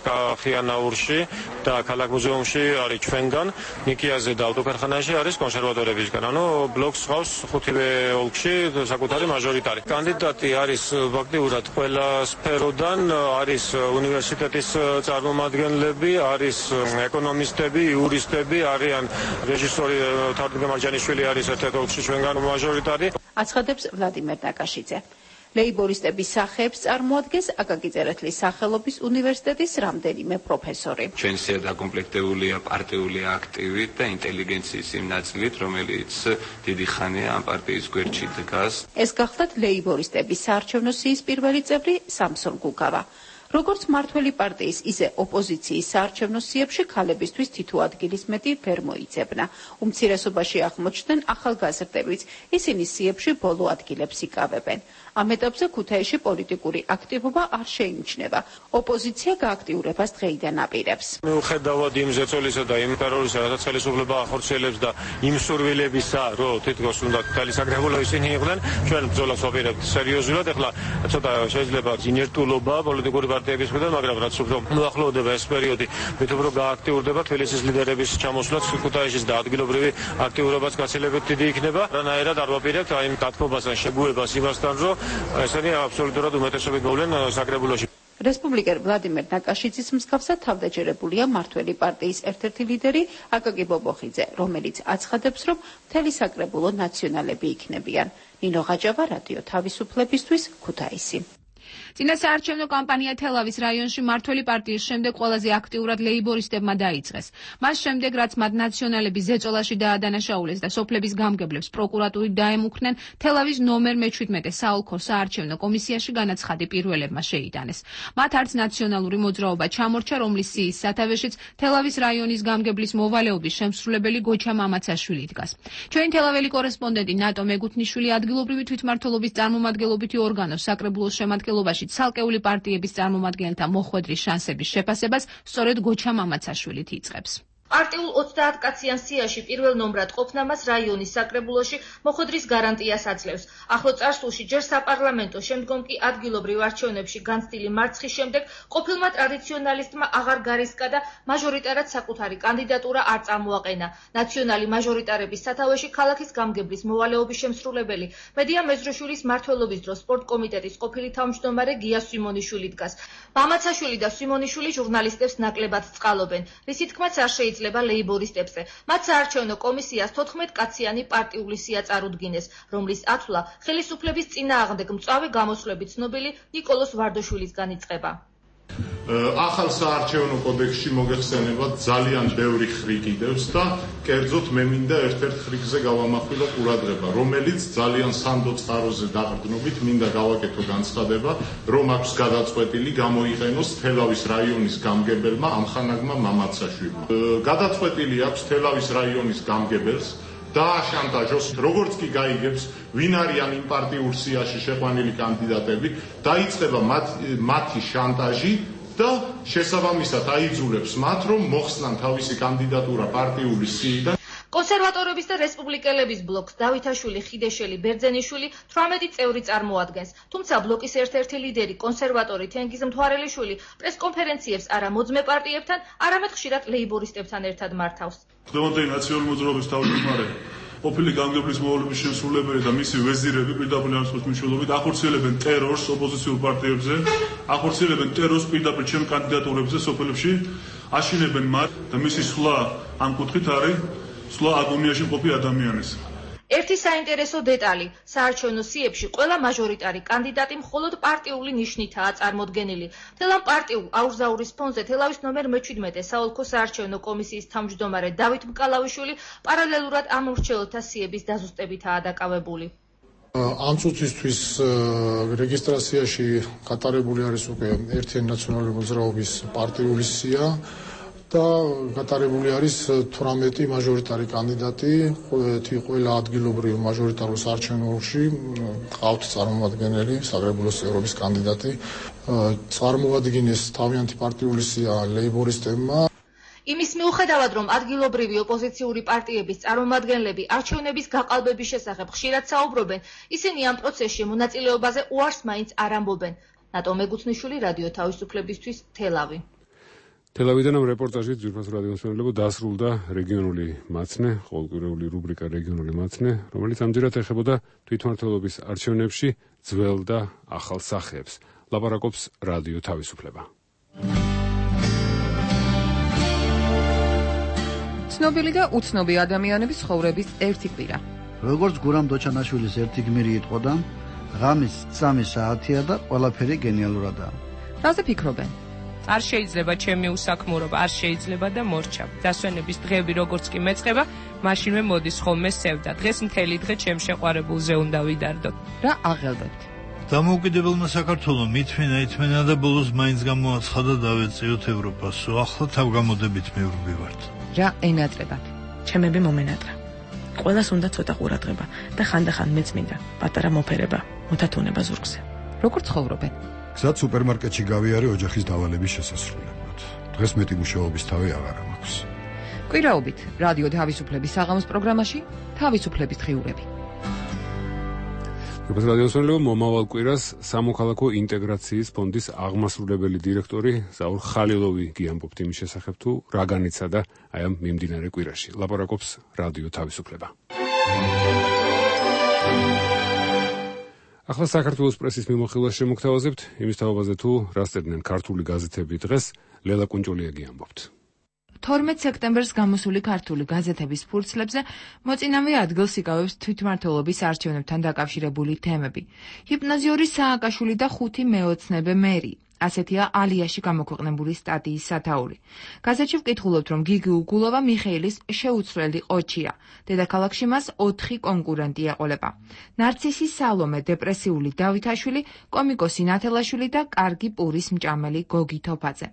კახიანაურში და ქალაქ მუზეუმში არის ჩვენგან, ნიკიაზე და ავტოკარხანაში არის კონსერვატორებისგან. ანუ ბლოკს ხავს 5-ვე ოლქში საკუთარი მაჟორიტარი. კანდიდატი არის ფაქტიურად ყველა სფეროდან, არის უნივერსიტეტის წარმომადგენლები, არის ეკონომისტები, იურისტები, არიან რეჟისორი თარგმ მარჯანიშვილი არის ერთ-ერთ ოლქში ჩვენგან მაჟორიტარი. აცხადებს ვლადიმერ ნაკაშიძე. ლეიბორისტების სახეებს წარმოადგენს აკაკი წერეთლის სახელობის უნივერსიტეტის რამდენიმე პროფესორი. ჩვენ სია დაკომპლექტებულია პარტიული აქტივით და ინტელიგენციის იმ ნაწილით, რომელიც დიდი ხანია ამ პარტიის გვერდში დგას. ეს გახლდათ ლეიბორისტების საარჩევნო სიის პირველი წევრი სამსონ გუგავა. როგორც მართველი პარტიის, ისე ოპოზიციის საარჩევნო სიებში ქალებისთვის თითო ადგილის მეტი ვერ მოიძებნა. უმცირესობაში აღმოჩნდნენ ახალგაზრდებიც, ისინი სიებში ბოლო ადგილებს იკავებენ. ამ ეტაპზე ქუთაისში პოლიტიკური აქტივობა არ შეიმჩნევა. ოპოზიცია გააქტიურებას დღეიდან აპირებს. მიუხედავად იმ ზეწოლისა და იმ ტერორისა, რასაც ხელისუფლება ახორციელებს და იმ სურვილებისა, რომ თითქოს უნდა მთელი საკრებულო ისინი იყვნენ, ჩვენ ბრძოლას ვაპირებთ სერიოზულად. ეხლა ცოტა შეიძლება ინერტულობა პოლიტიკური პარტიების მხრიდან, მაგრამ რაც უფრო მოახლოვდება ეს პერიოდი, მით უფრო გააქტიურდება თბილისის ლიდერების ჩამოსვლაც ქუთაისში და ადგილობრივი აქტიურობაც გაცილებით დიდი იქნება. რანაირად არ ვაპირებთ აი იმ დათმობას ან შეგუებას იმასთან, რომ ესენი აბსოლუტურად უმეტესობით მოვლენ საკრებულოში. რესპუბლიკელ ვლადიმერ ნაკაშიძის მსგავსად თავდაჯერებულია მართველი პარტიის ერთ-ერთი ლიდერი აკაკი ბობოხიძე, რომელიც აცხადებს, რომ მთელი საკრებულო ნაციონალები იქნებიან. ნინო ღაჭავა, რადიო თავისუფლებისთვის, ქუთაისი. წინა საარჩევნო კამპანია თელავის რაიონში მართველი პარტიის შემდეგ ყველაზე აქტიურად ლეიბორისტებმა დაიწყეს. მას შემდეგ, რაც მათ ნაციონალები ზეწოლაში დაადანაშაულეს და სოფლების გამგებლებს პროკურატურით დაემუქრნენ, თელავის ნომერ 17 საოლქო საარჩევნო კომისიაში განაცხადი პირველებმა შეიტანეს. მათ არც ნაციონალური მოძრაობა ჩამორჩა, რომლის სიის სათავეშიც თელავის რაიონის გამგებლის მოვალეობის შემსრულებელი გოჩა მამაცაშვილი დგას. ჩვენი თელაველი კორესპონდენტი ნატო მეგუთნიშვილი ადგილობრივი თვითმმართველობის წარმომადგენლობითი ორგანოს საკრებულოს შემადგენლობაში ცალკეული პარტიების წარმომადგენელთა მოხვედრის შანსების შეფასებას სწორედ გოჩა მამაცაშვილით იწყებს. პარტიულ 30 კაციან სიაში პირველ ნომრად ყოფნა მას რაიონის საკრებულოში მოხვედრის გარანტიას აძლევს. ახლო წარსულში ჯერ საპარლამენტო, შემდგომ კი ადგილობრივ არჩევნებში განცდილი მარცხის შემდეგ ყოფილმა ტრადიციონალისტმა აღარ გარისკა და მაჟორიტარად საკუთარი კანდიდატურა არ წამოაყენა. ნაციონალი მაჟორიტარების სათავეში ქალაქის გამგებლის მოვალეობის შემსრულებელი მედია მეზროშვილის მმართველობის დროს სპორტ კომიტეტის ყოფილი თავმჯდომარე გია სვიმონიშვილი დგას. მამაცაშვილი და სვიმონიშვილი ჟურნალისტებს ნაკლებად წყალობენ, რის თქმაც არ შეიძლება ლეიბორისტებზე. მათ საარჩევნო კომისიას 14 კაციანი პარტიული სია წარუდგინეს, რომლის ათვლა ხელისუფლების წინააღმდეგ მწვავე გამოსვლებით ცნობილი ნიკოლოზ ვარდოშვილისგან იწყება. ახალ საარჩევნო კოდექსში მოგეხსენება ძალიან ბევრი ხრი კიდევს და კერძოდ მე მინდა ერთ-ერთ ხრიგზე გავამახვილო ყურადღება, რომელიც ძალიან სანდო წყაროზე დაყრდნობით მინდა გავაკეთო განცხადება, რომ აქვს გადაწყვეტილი გამოიყენოს თელავის რაიონის გამგებელმა ამხანაგმა მამაცაშვილმა. გადაწყვეტილი აქვს თელავის რაიონის გამგებელს დააშანტაჟოს, როგორც კი გაიგებს, ვინ არიან იმ პარტიულ სიაში შეყვანილი კანდიდატები, დაიწყება მათი შანტაჟი და შესაბამისად აიძულებს მათ, რომ მოხსნან თავისი კანდიდატურა პარტიული სიიდან. კონსერვატორების და რესპუბლიკელების ბლოკს დავითაშვილი, ხიდეშელი, ბერძენიშვილი 18 წევრი წარმოადგენს. თუმცა ბლოკის ერთ-ერთი ლიდერი, კონსერვატორი თენგიზ მთვარელიშვილი პრესკონფერენციებს არა მოძმე პარტიებთან, არამედ ხშირად ლეიბორისტებთან ერთად მართავს. ხდომადეი ნაციონალური მოძრაობის თავმჯდომარე ყოფილი გამგებლის მოვალეობის შემსრულებელი და მისი ვეზირები პირდაპირ არასწორად მნიშვნელობით ახორციელებენ ტერორს ოპოზიციურ პარტიებზე, ახორციელებენ ტერორს პირდაპირ ჩემ კანდიდატურებზე სოფელებში, აშინებენ მათ და მისი სვლა ამ კუთხით არის სვლა აგონიაში მყოფი ადამიანის. ერთი საინტერესო დეტალი, საარჩევნო სიებში ყველა მაჟორიტარი კანდიდატი მხოლოდ პარტიული ნიშნითაა წარმოდგენილი. მთელ ამ პარტიულ აურზაურის ფონზე თელავის ნომერ 17 საოლქო საარჩევნო კომისიის თავმჯდომარე დავით მკალავიშვილი პარალელურად ამ მრჩეველთა სიების დაზუსტებითაა დაკავებული. ამ წუთისთვის რეგისტრაციაში გატარებული არის უკვე ერთიანი ნაციონალური მოძრაობის პარტიული სია და გატარებული არის 18 მაჟორიტარი კანდიდატი, ყველა ადგილობრივ მაჟორიტარულ საარჩევნოში ყავთ წარმომადგენელი, საკრებულოს წევრობის კანდიდატი, წარმოადგენს თავიანთი პარტიული სია ლეიბორისტებმა. იმის მიუხედავად, რომ ადგილობრივი ოპოზიციური პარტიების წარმომადგენლები არჩევნების გაყალბების შესახებ ხშირად საუბრობენ, ისინი ამ პროცესში მონაწილეობაზე უარს მაინც არ ამბობენ. ნატო მეგუცნიშვილი, რადიო თავისუფლებისთვის, თელავი. თელავიდან ამ რეპორტაჟით ძვირფასო რადიომსმენელებო დასრულდა რეგიონული მაცნე, ყოველკვირეული რუბრიკა რეგიონული მაცნე, რომელიც ამჯერად ეხებოდა თვითმმართველობის არჩევნებში ძველ და ახალ სახეებს. ლაპარაკობს რადიო თავისუფლება. ცნობილი და უცნობი ადამიანების ცხოვრების ერთი კვირა. როგორც გურამ დოჩანაშვილის ერთი გმირი იტყოდა, ღამის 3 საათია და ყველაფერი გენიალურადაა. რაზე ფიქრობენ? არ შეიძლება ჩემი უსაქმურობა, არ შეიძლება და მორჩა. დასვენების დღეები როგორც კი მეწყება, მაშინვე მოდის ხოლმე სევდა. დღეს მთელი დღე ჩემ შეყვარებულზე უნდა ვიდარდოთ. რა აღელვებთ? დამოუკიდებელმა საქართველომ ითმენა და ბოლოს მაინც გამოაცხადა დავეწიოთ ევროპასო. ახლა თავგამოდებით მივდივართ. რა ენატრებათ? ჩემები მომენატრა. ყველას უნდა ცოტა ყურადღება და ხანდახან მეც მინდა პატარა მოფერება, მოთათუნება ზურგზე. როგორ ცხოვრობენ? გზად სუპერმარკეტში გავიარე ოჯახის დავალების შესასრულებლად. დღეს მეტი მუშაობის თავი აღარ მაქვს. კვირაობით რადიო თავისუფლების საღამოს პროგრამაში თავისუფლების დღიურები. როგორც რადიოსმენელებო, მომავალ კვირას სამოქალაქო ინტეგრაციის ფონდის აღმასრულებელი დირექტორი ზაურ ხალილოვი გიამბობთ იმის შესახებ, თუ რა განიცადა აი ამ მიმდინარე კვირაში. ლაპარაკობს რადიო თავისუფლება. ახლა საქართველოს პრესის მიმოხილვას შემოგთავაზებთ იმის თაობაზე, თუ რა სწერდნენ ქართული გაზეთები დღეს. ლელა კუნჭოლია გიამბობთ. 12 სექტემბერს გამოსული ქართული გაზეთების ფურცლებზე მოწინავე ადგილს იკავებს თვითმმართველობის არჩევნებთან დაკავშირებული თემები. ჰიპნოზიური სააკაშვილი და 5 მეოცნებე მერი. ასეთია ალიაში გამოქვეყნებული სტატიის სათაური. გაზეთში ვკითხულობთ, რომ გიგი უგულოვა მიხეილის შეუცვლელი ყოჩია. დედაქალაქში მას 4 კონკურენტი ეყოლება. ნარცისი სალომე, დეპრესიული დავითაშვილი, კომიკოსი ნათელაშვილი და კარგი პურის მჭამელი გოგი თოფაძე.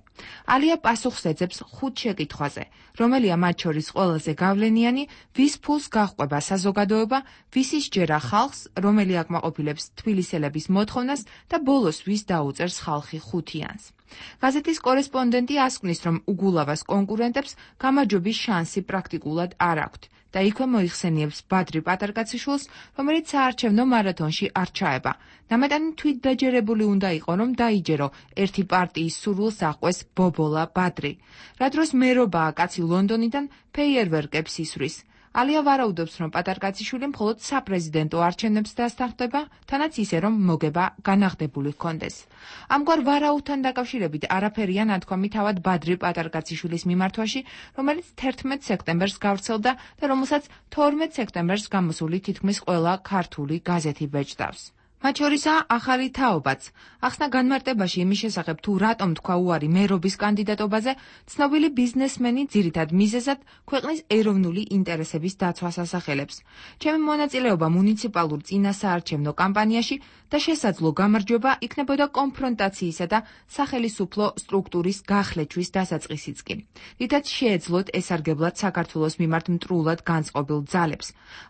ალია პასუხს ეძებს 5 შეკითხვაზე, რომელია მათ შორის ყველაზე გავლენიანი, ვის ფულს გაჰყვება საზოგადოება, ვისი სჯერა ხალხს, რომელი აკმაყოფილებს თბილისელების მოთხოვნას და ბოლოს ვის დაუწერს ხალხი ხუთიანს. გაზეთის კორესპონდენტი ასკვნის, რომ უგულავას კონკურენტებს გამარჯვების შანსი პრაქტიკულად არ აქვთ და იქვე მოიხსენიებს ბადრი პატარკაციშვილს, რომელიც საარჩევნო მარათონში არ ჩაება. ნამეტანი თვითდაჯერებული უნდა იყო, რომ დაიჯერო ერთი პარტიის სურვილს აყვეს ბობოლა ბადრი. რა დროს მერობაა კაცი ლონდონიდან ფეიერვერკებს ისვრის. ალია ვარაუდობს, რომ პატარკაციშვილი მხოლოდ საპრეზიდენტო არჩევნებს დასთანხმდება, თანაც ისე, რომ მოგება განაღდებული ჰქონდეს. ამგვარ ვარაუდთან დაკავშირებით არაფერია ნათქვამი თავად ბადრი პატარკაციშვილის მიმართვაში, რომელიც 11 სექტემბერს გავრცელდა და რომელსაც 12 სექტემბერს გამოსული თითქმის ყველა ქართული გაზეთი ბეჭდავს. მათ შორისაა ახალი თაობაც. ახსნა განმარტებაში იმის შესახებ, თუ რატომ თქვა უარი მერობის კანდიდატობაზე, ცნობილი ბიზნესმენი ძირითად მიზეზად ქვეყნის ეროვნული ინტერესების დაცვას ასახელებს. ჩემი მონაწილეობა მუნიციპალურ წინასაარჩევნო კამპანიაში და შესაძლო გამარჯვება იქნებოდა კონფრონტაციისა და სახელისუფლო სტრუქტურის გახლეჩვის დასაწყისიც კი. რითაც შეეძლოთ ესარგებლად საქართველოს მიმართ მტრულად განწყობილ ძალებს.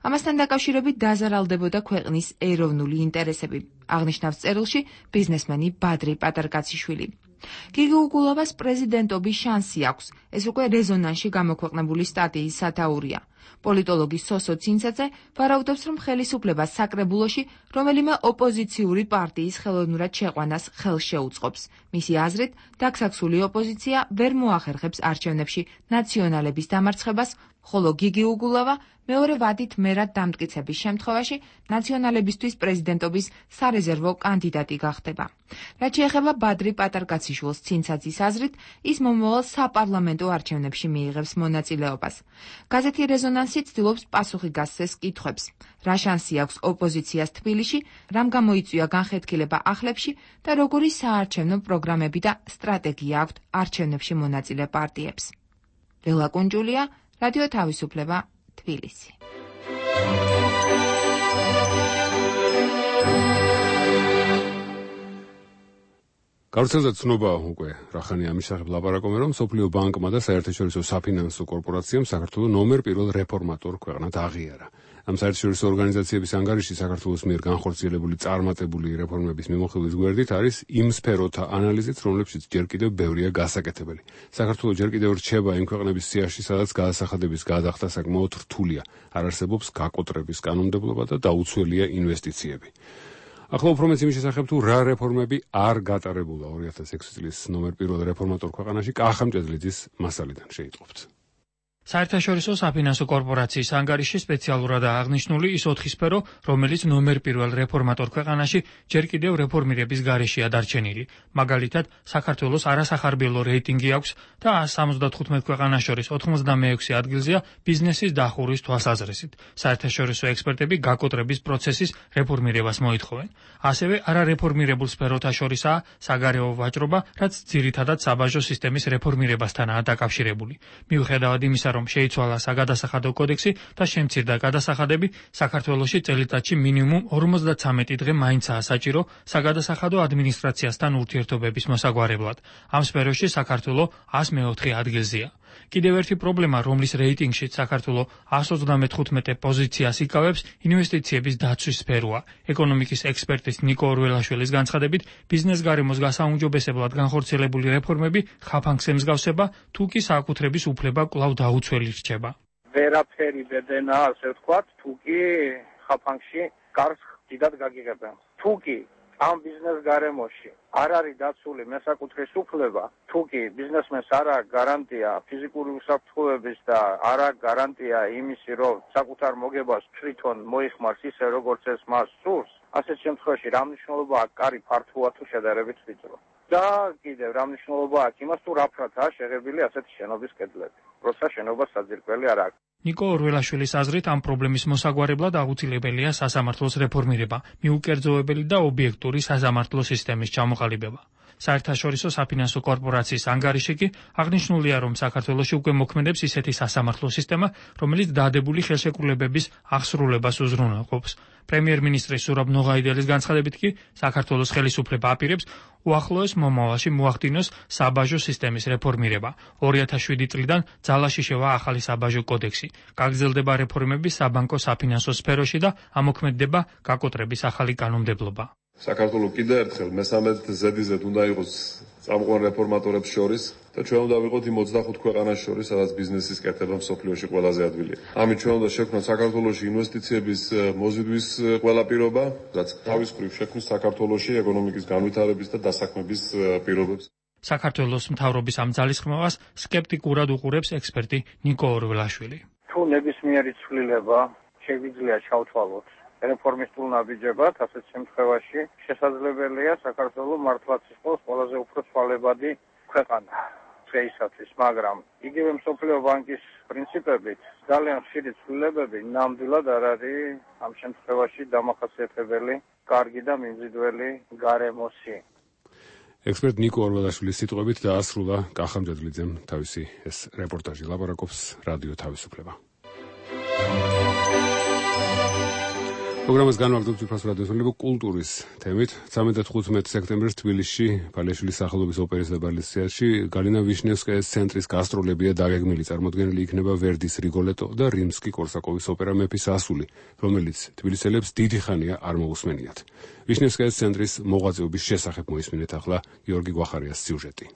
ამასთან დაკავშირებით დაზარალდებოდა ქვეყნის ეროვნული ინტერესები. აღნიშნავს წერილში ბიზნესმენი ბადრი პატარკაციშვილი. გიგი უგულოვას პრეზიდენტობის შანსი აქვს. ეს უკვე რეზონანსში გამოქვეყნებული სტატიის სათაურია. პოლიტოლოგი სოსო ცინცაძე ვარაუდობს, რომ ხელისუფლებას საკრებულოში რომელიმე ოპოზიციური პარტიის ხელოვნურად შეყვანას ხელს შეუწყობს. მისი აზრით, დაქსაქსული ოპოზიცია ვერ მოახერხებს არჩევნებში ნაციონალების დამარცხებას, ხოლო გიგი უგულავა მეორე ვადით მერად დამტკიცების შემთხვევაში ნაციონალებისთვის პრეზიდენტობის სარეზერვო კანდიდატი გახდება. რაც შეეხება ბადრი პატარკაციშვილს, ცინცაძის აზრით, ის მომავალ საპარლამენტო არჩევნებში მიიღებს მონაწილეობას. გაზეთი რეზონანსი ცდილობს პასუხი გასცეს კითხვებს. რა შანსი აქვს ოპოზიციას თბილისში, რამ გამოიწვია განხეთქილება ახლებში და როგორი საარჩევნო პროგრამები და სტრატეგია აქვთ არჩევნებში მონაწილე პარტიებს. ველა კუნჯულია, რადიო თავისუფლება, თბილისი. გავრცელდა ცნობა უკვე რახანი ამის შესახებ ლაპარაკობენ, რომ სოფლიო ბანკმა და საერთაშორისო საფინანსო კორპორაციამ საქართველოს ნომერ პირველ რეფორმატორ ქვეყნად აღიარა. ამ საერთაშორისო ორგანიზაციების ანგარიში საქართველოს მიერ განხორციელებული წარმატებული რეფორმების მიმოხილვის გვერდით არის იმ სფეროთა ანალიზიც, რომლებშიც ჯერ კიდევ ბევრია გასაკეთებელი. საქართველოს ჯერ კიდევ რჩება იმ ქვეყნების სიაში, სადაც გადასახადების გადახდა საკმაოდ რთულია, არ არსებობს გაკოტრების კანონმდებლობა და დაუცველია ინვესტიციები. ახლა უფრო მეც იმის შესახებ, თუ რა რეფორმები არ გატარებულა 2006 წლის ნომერ პირველ რეფორმატორ ქვეყანაში, კახა მჭედლიძის მასალიდან შეიტყობთ. საერთაშორისო საფინანსო კორპორაციის ანგარიში სპეციალურადაა აღნიშნული ის 4 სფერო, რომელიც ნომერ პირველ რეფორმატორ ქვეყანაში ჯერ კიდევ რეფორმირების გარეშეა დარჩენილი. მაგალითად, საქართველოს არასახარბიელო რეიტინგი აქვს და 175 ქვეყანას შორის 96 ადგილზეა ბიზნესის დახურვის თვალსაზრისით. საერთაშორისო ექსპერტები გაკოტრების პროცესის რეფორმირებას მოითხოვენ. ასევე არარეფორმირებულ სფეროთა შორისაა საგარეო ვაჭრობა, რაც ძირითადად საბაჟო სისტემის რეფორმირებასთანაა დაკავშირებული. მიუხედავად იმისა, რომ შეიცვალა საგადასახადო კოდექსი და შემცირდა გადასახადები, საქართველოში წელიწადში მინიმუმ 53 დღე მაინცაა საჭირო საგადასახადო ადმინისტრაციასთან ურთიერთობების მოსაგვარებლად. ამ სფეროში საქართველო 104 ადგილზეა. კიდევ ერთი პრობლემა, რომლის რეიტინგში საქართველო 135 პოზიციას იკავებს, ინვესტიციების დაცვის სფეროა. ეკონომიკის ექსპერტის ნიკო ორველაშვილის განცხადებით, ბიზნეს გარემოს გასაუმჯობესებლად განხორციელებული რეფორმები ხაფანგს ემსგავსება, თუ კი საკუთრების უფლება კვლავ დაუცველი რჩება. ვერაფერი ბედენა, ასე ვთქვათ, თუ კი ხაფანგში კარს დიდად გაგიღებენ. თუ კი ამ ბიზნეს გარემოში არ არის დაცული მესაკუთრის უფლება, თუ კი ბიზნესმენს არ აქვს გარანტია ფიზიკური უსაფრთხოების და არ აქვს გარანტია იმისი, რომ საკუთარ მოგებას თვითონ მოიხმარს ისე, როგორც ეს მას სურს, ასეთ შემთხვევაში რა მნიშვნელობა აქვს კარი ფართოა თუ შედარებით ვიწრო. და კიდევ რა მნიშვნელობა აქვს იმას, თუ რაფრადაა შეღებილი ასეთი შენობის კედლები, როცა შენობას საძირკველი არ აქვს. ნიკო ორველაშვილის აზრით, ამ პრობლემის მოსაგვარებლად აუცილებელია სასამართლოს რეფორმირება, მიუკერძოებელი და ობიექტური სასამართლო სისტემის ჩამოყალიბება. საერთაშორისო საფინანსო კორპორაციის ანგარიში კი აღნიშნულია, რომ საქართველოში უკვე მოქმედებს ისეთი სასამართლო სისტემა, რომელიც დადებული ხელშეკრულებების აღსრულებას უზრუნველყოფს. პრემიერ-მინისტრის სურაბ ნოღაიდელის განცხადებით კი საქართველოს ხელისუფლება აპირებს უახლოეს მომავალში მოახდინოს საბაჟო სისტემის რეფორმირება. 2007 წლიდან ძალაში შევა ახალი საბაჟო კოდექსი. გაგრძელდება რეფორმები საბანკო საფინანსო სფეროში და ამოქმედდება გაკოტრების ახალი კანონმდებლობა. საქართველოს კიდევ ერთხელ მესამედ ზედიზედ უნდა იყოს წამყვან რეფორმატორებს შორის და ჩვენ უნდა ვიყოთ იმ 25 ქვეყანას შორის, სადაც ბიზნესის კეთება მსოფლიოში ყველაზე ადვილია. ამით ჩვენ უნდა შევქმნათ საქართველოში ინვესტიციების მოზიდვის ყველა პირობა, რაც თავის მხრივ შექმნის საქართველოში ეკონომიკის განვითარების და დასაქმების პირობებს. საქართველოს მთავრობის ამ ძალისხმევას სკეპტიკურად უყურებს ექსპერტი ნიკო ორველაშვილი. თუ ნებისმიერი ცვლილება შეგვიძლია ჩავთვალოთ რეფორმისტულ ნაბიჯებად, ასეთ შემთხვევაში შესაძლებელია საქართველოს მართლაც იყოს ყველაზე უფრო ცვალებადი ქვეყანა დღეისათვის, მაგრამ იგივე მსოფლიო ბანკის პრინციპებით ძალიან ხშირი ცვლილებები ნამდვილად არ არის ამ შემთხვევაში დამახასიათებელი კარგი და მიმზიდველი გარემოსი. ექსპერტ ნიკო ორველაშვილის სიტყვებით დაასრულა კახა მჭედლიძემ თავისი ეს რეპორტაჟი. ლაპარაკობს რადიო თავისუფლება. პროგრამას განვაგრძობთ უფროს რადიოსული კულტურის თემით. 13-15 სექტემბერს თბილისში ფალეშვილის სახელობის ოპერის და ბალეტის თეატრში გალინა ვიშნევსკაის ცენტრის გასტროლებია დაგეგმილი. წარმოდგენილი იქნება ვერდის რიგოლეტო და რიმსკი-კორსაკოვის ოპერა მეფის ასული, რომელიც თბილისელებს დიდი ხანია არ მოусმენიათ. ვიშნევსკაის ცენტრის მოღვაწეობის შესახებ მოისმინეთ ახლა გიორგი გვახარიას სიუჟეტი.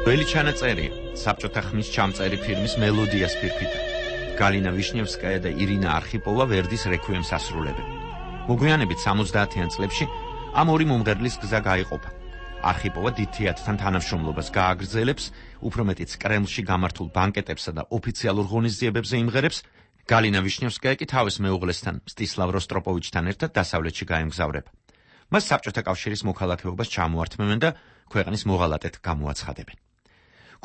ველი ჩანაწერია საბჭოთა ხმის ჩამწერი ფილმის მელოდიას ფირფიტა. გალინა ვიშნევსკაია და ირინა არხიპოვა ვერდის რექვიემს ასრულებენ. მოგვიანებით 70-იან წლებში ამ ორი მომღერლის გზა გაიყოფა. არხიპოვა დიდ თეატრთან თანამშრომლობას გააგრძელებს, უფრო მეტიც კრემლში გამართულ ბანკეტებსა და ოფიციალურ ღონისძიებებზე იმღერებს. გალინა ვიშნევსკაია კი თავის მეუღლესთან, მსტისლავ როსტროპოვიჩთან ერთად დასავლეთში გაემგზავრება. მას საბჭოთა კავშირის მოქალაქეობას ჩამოართმევენ და ქვეყნის მოღალატედ გამოაცხადებენ.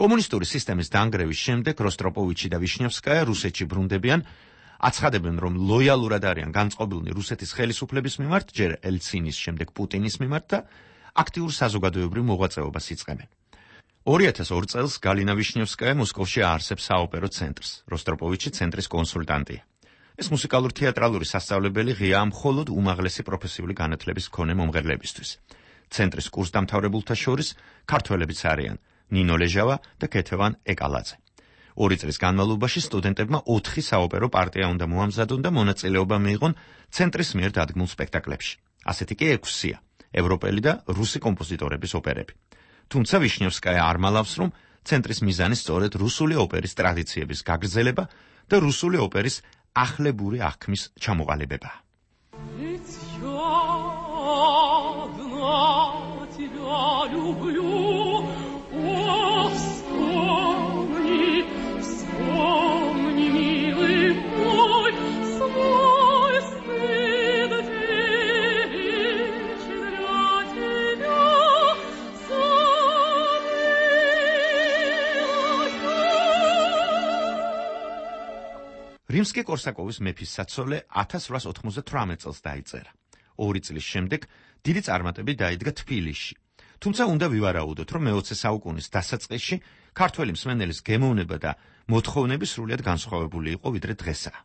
კომუნისტური სისტემის დანგრევის შემდეგ როსტროპოვიჩი და ვიშნევსკაია რუსეთში ბრუნდებიან, აცხადებენ, რომ ლოიალურად არიან განწყობილნი რუსეთის ხელისუფლების მიმართ, ჯერ ელცინის, შემდეგ პუტინის მიმართ და აქტიურ საზოგადოებრივ მოღვაწეობას იწყებენ. 2002 წელს გალინა ვიშნევსკაია მოსკოვში აარსებს საოპერო ცენტრს, როსტროპოვიჩი ცენტრის კონსულტანტია. ეს მუსიკალურ თეატრალური სასწავლებელი ღიაა მხოლოდ უმაღლესი პროფესიული განათლების მქონე მომღერლებისთვის. ცენტრის კურსდამთავრებულთა შორის ქართველებიც არიან ნინო ლეჟავა და ქეთევან ეკალაძე. 2 წლის განმავლობაში სტუდენტებმა 4 საოპერო პარტია უნდა მოამზადონ და მონაწილეობა მიიღონ ცენტრის მიერ დადგმულ სპექტაკლებში. ასეთი კი 6-ია ევროპელი და რუსი კომპოზიტორების ოპერები. თუმცა ვიშნევსკაია არ მალავს, რომ ცენტრის მიზანი სწორედ რუსული ოპერის ტრადიციების გაგრძელება და რუსული ოპერის ახლებური აღქმის ჩამოყალიბება. რიმსკი-კორსაკოვის მეფის საცოლე 1898 წელს დაიწერა. 2 წლის შემდეგ დიდი წარმატებით დაიდგა თბილისში. თუმცა უნდა ვივარაუდოთ, რომ მე-20 საუკუნის დასაწყისში ქართველი მსმენელის გემოვნება და მოთხოვნები სრულიად განსხვავებული იყო ვიდრე დღესაა.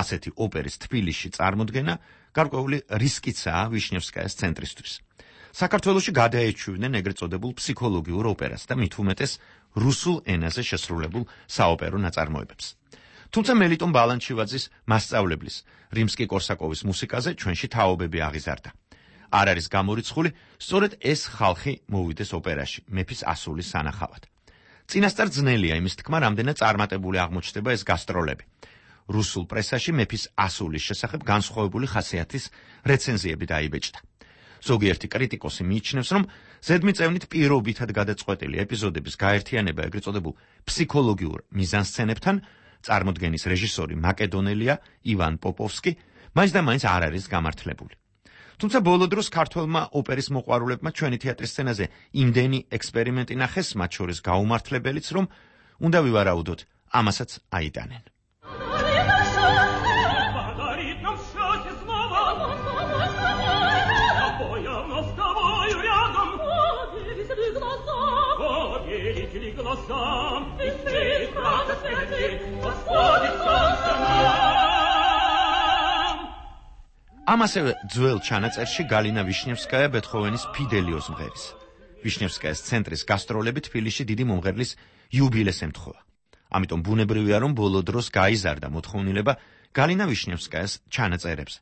ასეთი ოპერის თბილისში წარმოდგენა გარკვეული რისკიცაა ვიშნევსკაიას ცენტრისთვის. საქართველოში გადაეჩვივნენ ეგრეთ წოდებულ ფსიქოლოგიურ ოპერას და მით უმეტეს რუსულ ენაზე შესრულებულ საოპერო ნაწარმოებებს. თუმცა მელიტონ ბალანჩივაძის მასწავლებლის რიმსკი-კორსაკოვის მუსიკაზე ჩვენში თაობები აღიზარდა. არ არის გამორიცხული, სწორედ ეს ხალხი მოვიდეს ოპერაში, მეფის ასულის სანახავად. წინასწარ ძნელია იმის თქმა, რამდენად წარმატებული აღმოჩნდება ეს გასტროლები. რუსულ პრესაში მეფის ასულის შესახებ განსხვავებული ხასიათის რეცენზიები დაიბეჭდა. ზოგიერთი კრიტიკოსი მიიჩნევს, რომ ზედმიწევნით პირობითად გადაწყვეტილი ეპიზოდების გაერთიანება ეგრეთ წოდებულ ფსიქოლოგიურ მიზანსცენებთან წარმოდგენის რეჟისორი მაკედონელია ივან პოპოვსკი მაინც და მაინც არ არის გამართლებული. თუმცა ბოლო დროს ქართველმა ოპერის მოყვარულებმა ჩვენი თეატრის სცენაზე იმდენი ექსპერიმენტი ნახეს, მათ შორის გაუმართლებელიც, რომ უნდა ვივარაუდოთ, ამასაც აიტანენ. ამასევე ძველ ჩანაწერში გალინა ვიშნევსკაია ბეთჰოვენის ფიდელიოს მღერის. ვიშნევსკაიას ცენტრის გასტროლები თბილისში დიდი მომღერლის იუბილეს ემთხვევა. ამიტომ ბუნებრივია, რომ ბოლო დროს გაიზარდა მოთხოვნილება გალინა ვიშნევსკაიას ჩანაწერებზე.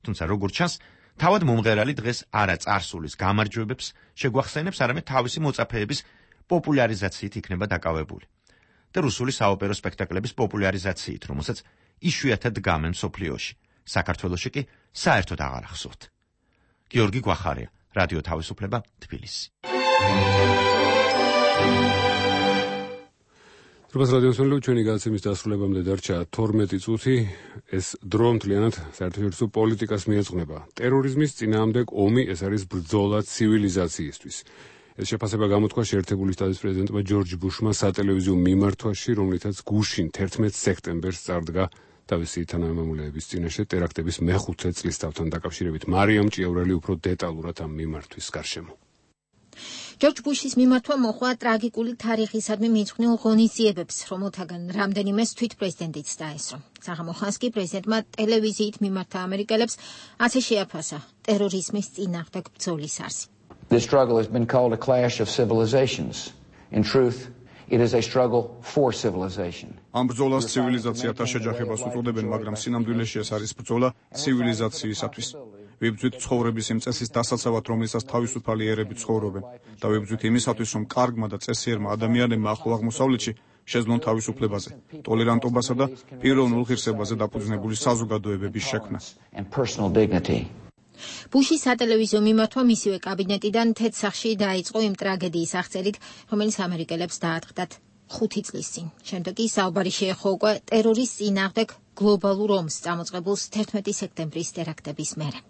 თუმცა როგორც ჩანს, თავად მომღერალი დღეს არა წარსულის გამარჯვებებს შეგვახსენებს, არამედ თავისი მოწაფეების პოპულარიზაციით იქნება დაკავებული. და რუსული საოპერო სპექტაკლების პოპულარიზაციით, რომელსაც იშვიათად დგამენ მსოფლიოში. საქართველოში კი საერთოდ აღარ ახსოვთ. გიორგი გვახარია, რადიო თავისუფლება, თბილისი. როგორც რადიოსმენელო, ჩვენი გადაცემის დასრულებამდე დარჩა 12 წუთი. ეს დრო მთლიანად საერთაშორისო პოლიტიკას მიეძღვნება. ტერორიზმის წინააღმდეგ ომი, ეს არის ბრძოლა ცივილიზაციისთვის. ეს შეფასება გამოთქვა შეერთებული შტატების პრეზიდენტმა ჯორჯ ბუშმა სატელევიზიო მიმართვაში, რომლითაც გუშინ 11 სექტემბერს წარდგა თავისი თანამემამულეების წინაშე ტერაქტების მე-5 წლისთავთან დაკავშირებით. მარიამ ჭიაურელი უფრო დეტალურად ამ მიმართვის გარშემო. ჯორჯ ბუშის მიმართვა მოხდა ტრაგიკული თარიღისადმი მიძღვნილ ღონისძიებებს, რომელთაგან რამდენიმეს თვით პრეზიდენტიც დაესწრო. საღამოხანს კი პრეზიდენტმა ტელევიზიით მიმართა ამერიკელებს ასე შეაფასა ტერორიზმის წინააღმდეგ ბრძოლის არსი. This struggle has been called a clash of civilizations. In truth, it is a struggle for civilization. ამ ბრძოლას ცივილიზაციათა შეჯახებას უწოდებენ, მაგრამ სინამდვილეში ეს არის ბრძოლა ცივილიზაციისათვის. ვიბრძვით ცხოვრების იმ წესის დასაცავად, რომელსაც თავისუფალი ერები ცხოვრობენ და ვიბრძვით იმისათვის, რომ კარგმა და წესიერმა ადამიანებმა ახლო აღმოსავლეთში შეძლონ თავისუფლებაზე, ტოლერანტობასა და პიროვნულ ღირსებაზე დაფუძნებული საზოგადოებების შექმნა. ბუშის სატელევიზიო მიმართვა მისივე კაბინეტიდან თეთრსახში დაიწყო იმ ტრაგედიის აღწერით, რომელიც ამერიკელებს დაატყდათ 5 წლის წინ. შემდეგ კი საუბარი შეეხო უკვე ტერორის წინააღმდეგ გლობალურ ომს წამოწყებულ 11 სექტემბრის ტერაქტების მერე.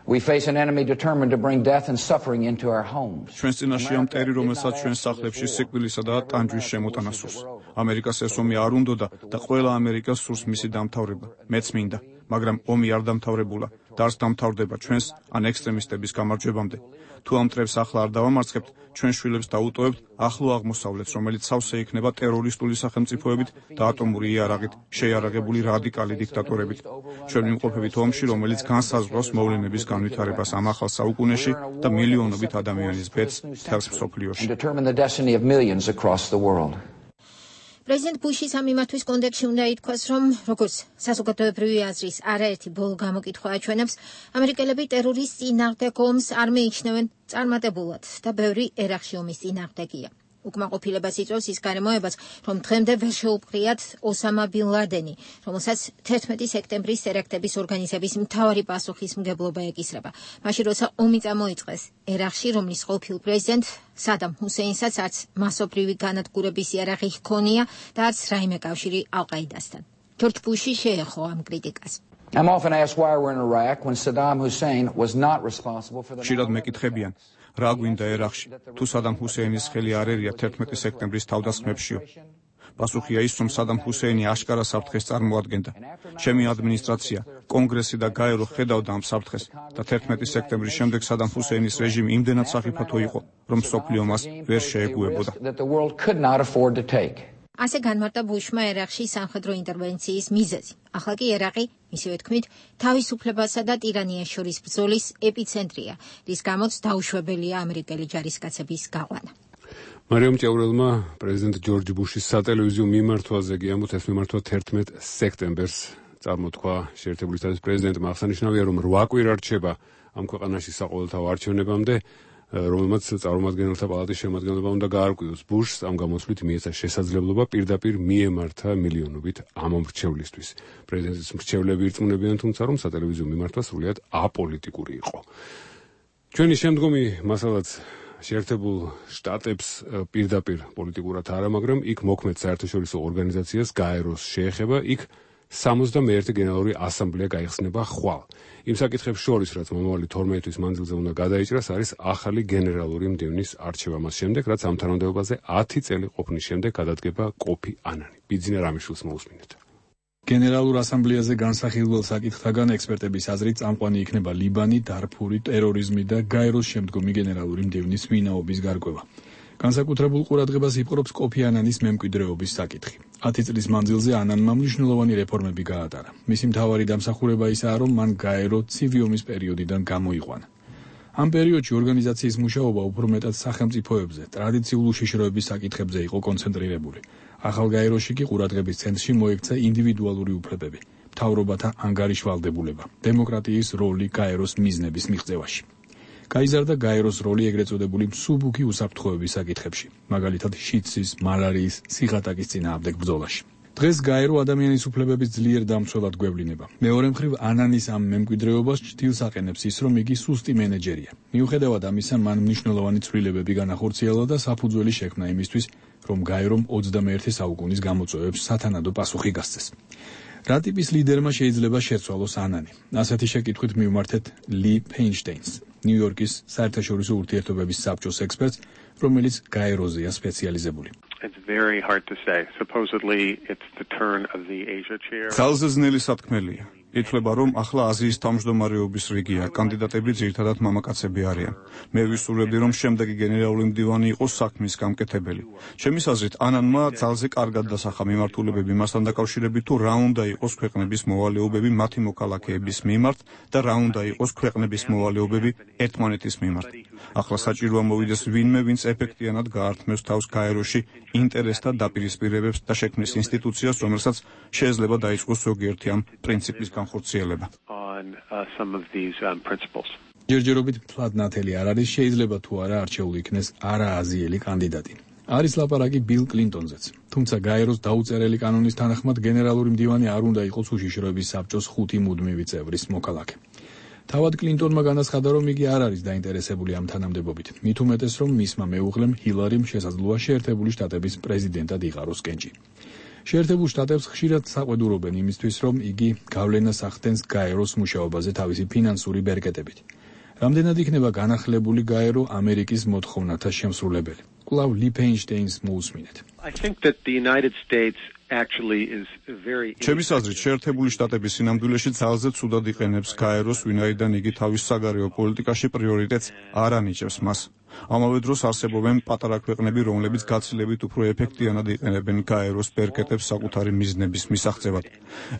We face an enemy determined to bring death and suffering into our homes. ჩვენს წინაშე ამ ტერი, რომელსაც ჩვენს სახლებში სიკვდილისა და ტანჯვის შემოტანა სურს. ამერიკას ეს ომი არ უნდოდა და ყველა ამერიკას სურს მისი დამთავრება. მეც მინდა, მაგრამ ომი არ დამთავრებულა და არც დამთავრდება ჩვენს ან ექსტრემისტების გამარჯვებამდე. თუ ამ მტრებს ახლა არ დავამარცხებთ, ჩვენ შვილებს დაუტოვებთ ახლო აღმოსავლეთს, რომელიც სავსე იქნება ტერორისტული სახელმწიფოებით და ატომური იარაღით შეიარაღებული რადიკალი დიქტატორებით. ჩვენ ვიმყოფებით ომში, რომელიც განსაზღვრავს მოვლენების განვითარებას ამ ახალ საუკუნეში და მილიონობით ადამიანის ბედს მთელს მსოფლიოში. პრეზიდენტ ბუშის ამ მიმართვის კონტექსტში უნდა ითქვას, რომ როგორც საზოგადოებრივი აზრის არაერთი ბოლო გამოკითხვა აჩვენებს, ამერიკელები ტერორის წინააღმდეგ ომს არ მიიჩნევენ წარმატებულად და ბევრი ერაყში ომის წინააღმდეგია. უკმაყოფილებას იწვევს ის გარემოებაც, რომ დღემდე ვერ შეუპყრიათ ოსამა ბინ ლადენი, რომელსაც 11 სექტემბრის ტერაქტების ორგანიზების მთავარი პასუხისმგებლობა ეკისრება. მაშინ როცა ომი წამოიწყეს ერაყში, რომლის ყოფილ პრეზიდენტ სადამ ჰუსეინსაც არც მასობრივი განადგურების იარაღი ჰქონია და არც რაიმე კავშირი ალ-ყაიდასთან. ჯორჯ ბუში შეეხო ამ კრიტიკას. I'm often asked why we're in Iraq when Saddam Hussein was not responsible for the ხშირად მეკითხებიან, რა გვინდა ერაყში, თუ სადამ ჰუსეინის ხელი არ ერია 11 სექტემბრის თავდასხმებშიო. პასუხია ის, რომ სადამ ჰუსეინი აშკარა საფრთხეს წარმოადგენდა. ჩემი ადმინისტრაცია, კონგრესი და გაერო ხედავდა ამ საფრთხეს და 11 სექტემბრის შემდეგ სადამ ჰუსეინის რეჟიმი იმდენად საფრთხო იყო, რომ მსოფლიო მას ვერ შეეგუებოდა. ასე განმარტა ბუშმა ერაყში სამხედრო ინტერვენციის მიზეზი. ახლა კი ერაყი, მისივე თქმით, თავისუფლებასა და ტირანიას შორის ბრძოლის ეპიცენტრია, რის გამოც დაუშვებელია ამერიკელი ჯარისკაცების გაყვანა. მარიამ ჭეურელმა პრეზიდენტ ჯორჯ ბუშის სატელევიზიო მიმართვაზე გიამბოთ, ეს მიმართვა 11 სექტემბერს წარმოთქვა შეერთებული შტატების პრეზიდენტმა. აღსანიშნავია, რომ 8 კვირა რჩება ამ ქვეყანაში საყოველთაო არჩევნებამდე, რომელმაც წარმომადგენელთა პალატის შემადგენლობა უნდა გაარკვიოს. ბუშს ამ გამოსვლით მიეცა შესაძლებლობა პირდაპირ მიემართა მილიონობით ამ მრჩევლისთვის. პრეზიდენტის მრჩევლები ირწმუნებიან, თუმცა, რომ სატელევიზიო მიმართვა სრულიად აპოლიტიკური იყო. ჩვენი შემდგომი მასალაც შეერთებულ შტატებს პირდაპირ პოლიტიკურად არა, მაგრამ იქ მოქმედ საერთაშორისო ორგანიზაციას გაეროს შეეხება, იქ 61 გენერალური ასამბლეა გაიხსნება ხვალ. იმ საკითხებს შორის, რაც მომავალი 12 თვის მანძილზე უნდა გადაიჭრას, არის ახალი გენერალური მდივნის არჩევა მას შემდეგ, რაც ამ თანამდებობაზე 10 წელი ყოფნის შემდეგ გადადგება კოფი ანანი. ბიძინა რამიშვილს მოусმინეთ. გენერალურ ასამბლეაზე განსახილველ საკითხთაგან ექსპერტების აზრით წამყვანი იქნება ლიბანი, დარფური, ტერორიზმი და გაეროს შემდგომი გენერალური მდივნის ვინაობის გარკვევა. განსაკუთრებულ ყურადღებას იპყრობს კოფი ანანის მემკვიდრეობის საკითხი. 10 წლის მანძილზე ანანმა მნიშვნელოვანი რეფორმები გაატარა. მისი მთავარი დამსახურება ისაა, რომ მან გაერო ცივი ომის პერიოდიდან გამოიყვანა. ამ პერიოდში ორგანიზაციის მუშაობა უფრო მეტად სახელმწიფოებზე, ტრადიციულ უშიშროების საკითხებზე იყო კონცენტრირებული. ახალ გაეროში კი ყურადღების ცენტრში მოექცა ინდივიდუალური უფლებები, მთავრობათა ანგარიშვალდებულება, დემოკრატიის როლი გაეროს მიზნების მიღწევაში. გაიზარდა გაეროს როლი ეგრეთ წოდებული მსუბუქი უსაფრთხოების საკითხებში, მაგალითად შიდსის, მალარიის, სიღატაკის წინააღმდეგ ბრძოლაში. დღეს გაერო ადამიანის უფლებების ძლიერ დამცველად გვევლინება. მეორე მხრივ ანანის ამ მემკვიდრეობას ჭდილს აყენებს ის, რომ იგი სუსტი მენეჯერია. მიუხედავად ამისა, მან მნიშვნელოვანი ცვლილებები განახორციელა და საფუძველი შექმნა იმისთვის, რომ გაერომ 21 საუკუნის გამოწვევებს სათანადო პასუხი გასცეს. რა ტიპის ლიდერმა შეიძლება შეცვალოს ანანი? ასეთი შეკითხვით მივმართეთ ლი ფეინშტეინს, ნიუ-იორკის საერთაშორისო ურთიერთობების საბჭოს ექსპერტს, რომელიც გაეროზეა სპეციალიზებული. It's very hard to say. Supposedly it's the turn of the Asia chair. ძალზე ძნელი სათქმელია. ითვლება, რომ ახლა აზიის თავმჯდომარეობის რიგია, კანდიდატები ძირითადად მამაკაცები არიან. მე ვისურვებდი, რომ შემდეგი გენერალური მდივანი იყოს საქმის გამკეთებელი. ჩემის აზრით, ანანმა ძალზე კარგად დასახა მიმართულებები მასთან დაკავშირებით, თუ რა უნდა იყოს ქვეყნების მოვალეობები მათი მოქალაქეების მიმართ და რა უნდა იყოს ქვეყნების მოვალეობები ერთმანეთის მიმართ. ახლა საჭიროა მოვიდეს ვინმე, ვინც ეფექტიანად გაართმევს თავს გაეროში ინტერესთა დაპირისპირებებს და შექმნის ინსტიტუციას, რომელსაც შეიძლება დაიწყოს ზოგიერთი ამ პრინციპის განხორციელება. on some of these principles. ჯერჯერობით მთლად ნათელი არ არის, შეიძლება თუ არა არჩეული იქნეს არააზიელი კანდიდატი. არის ლაპარაკი ბილ კლინტონზეც. თუმცა გაეროს დაუწერელი კანონის თანახმად გენერალური მდივანი არ უნდა იყოს უშიშროების საბჭოს 5 მუდმივი წევრის მოქალაქე. თავად კლინტონმა განაცხადა, რომ იგი არ არის დაინტერესებული ამ თანამდებობით. მით უმეტეს, რომ მისმა მეუღლემ ჰილარიმ შესაძლოა შეერთებული შტატების პრეზიდენტად იყაროს კენჭი. შეერთებულ შტატებს ხშირად საყვედურობენ იმისთვის, რომ იგი გავლენას ახდენს გაეროს მუშაობაზე თავისი ფინანსური ბერკეტებით. რამდენად იქნება განახლებული გაერო ამერიკის მოთხოვნათა შემსრულებელი. კვლავ ლი ფეინშტეინს მოусმინეთ. I think that the United States actually is very ჩემის აზრით, შეერთებული შტატების სინამდვილეში ძალზე ცუდად იყენებს გაეროს, ვინაიდან იგი თავის საგარეო პოლიტიკაში პრიორიტეტს არ ანიჭებს მას. ამავე დროს არსებობენ პატარა ქვეყნები, რომლებიც გაცილებით უფრო ეფექტიანად იყენებენ გაეროს ბერკეტებს საკუთარი მიზნების მისაღწევად.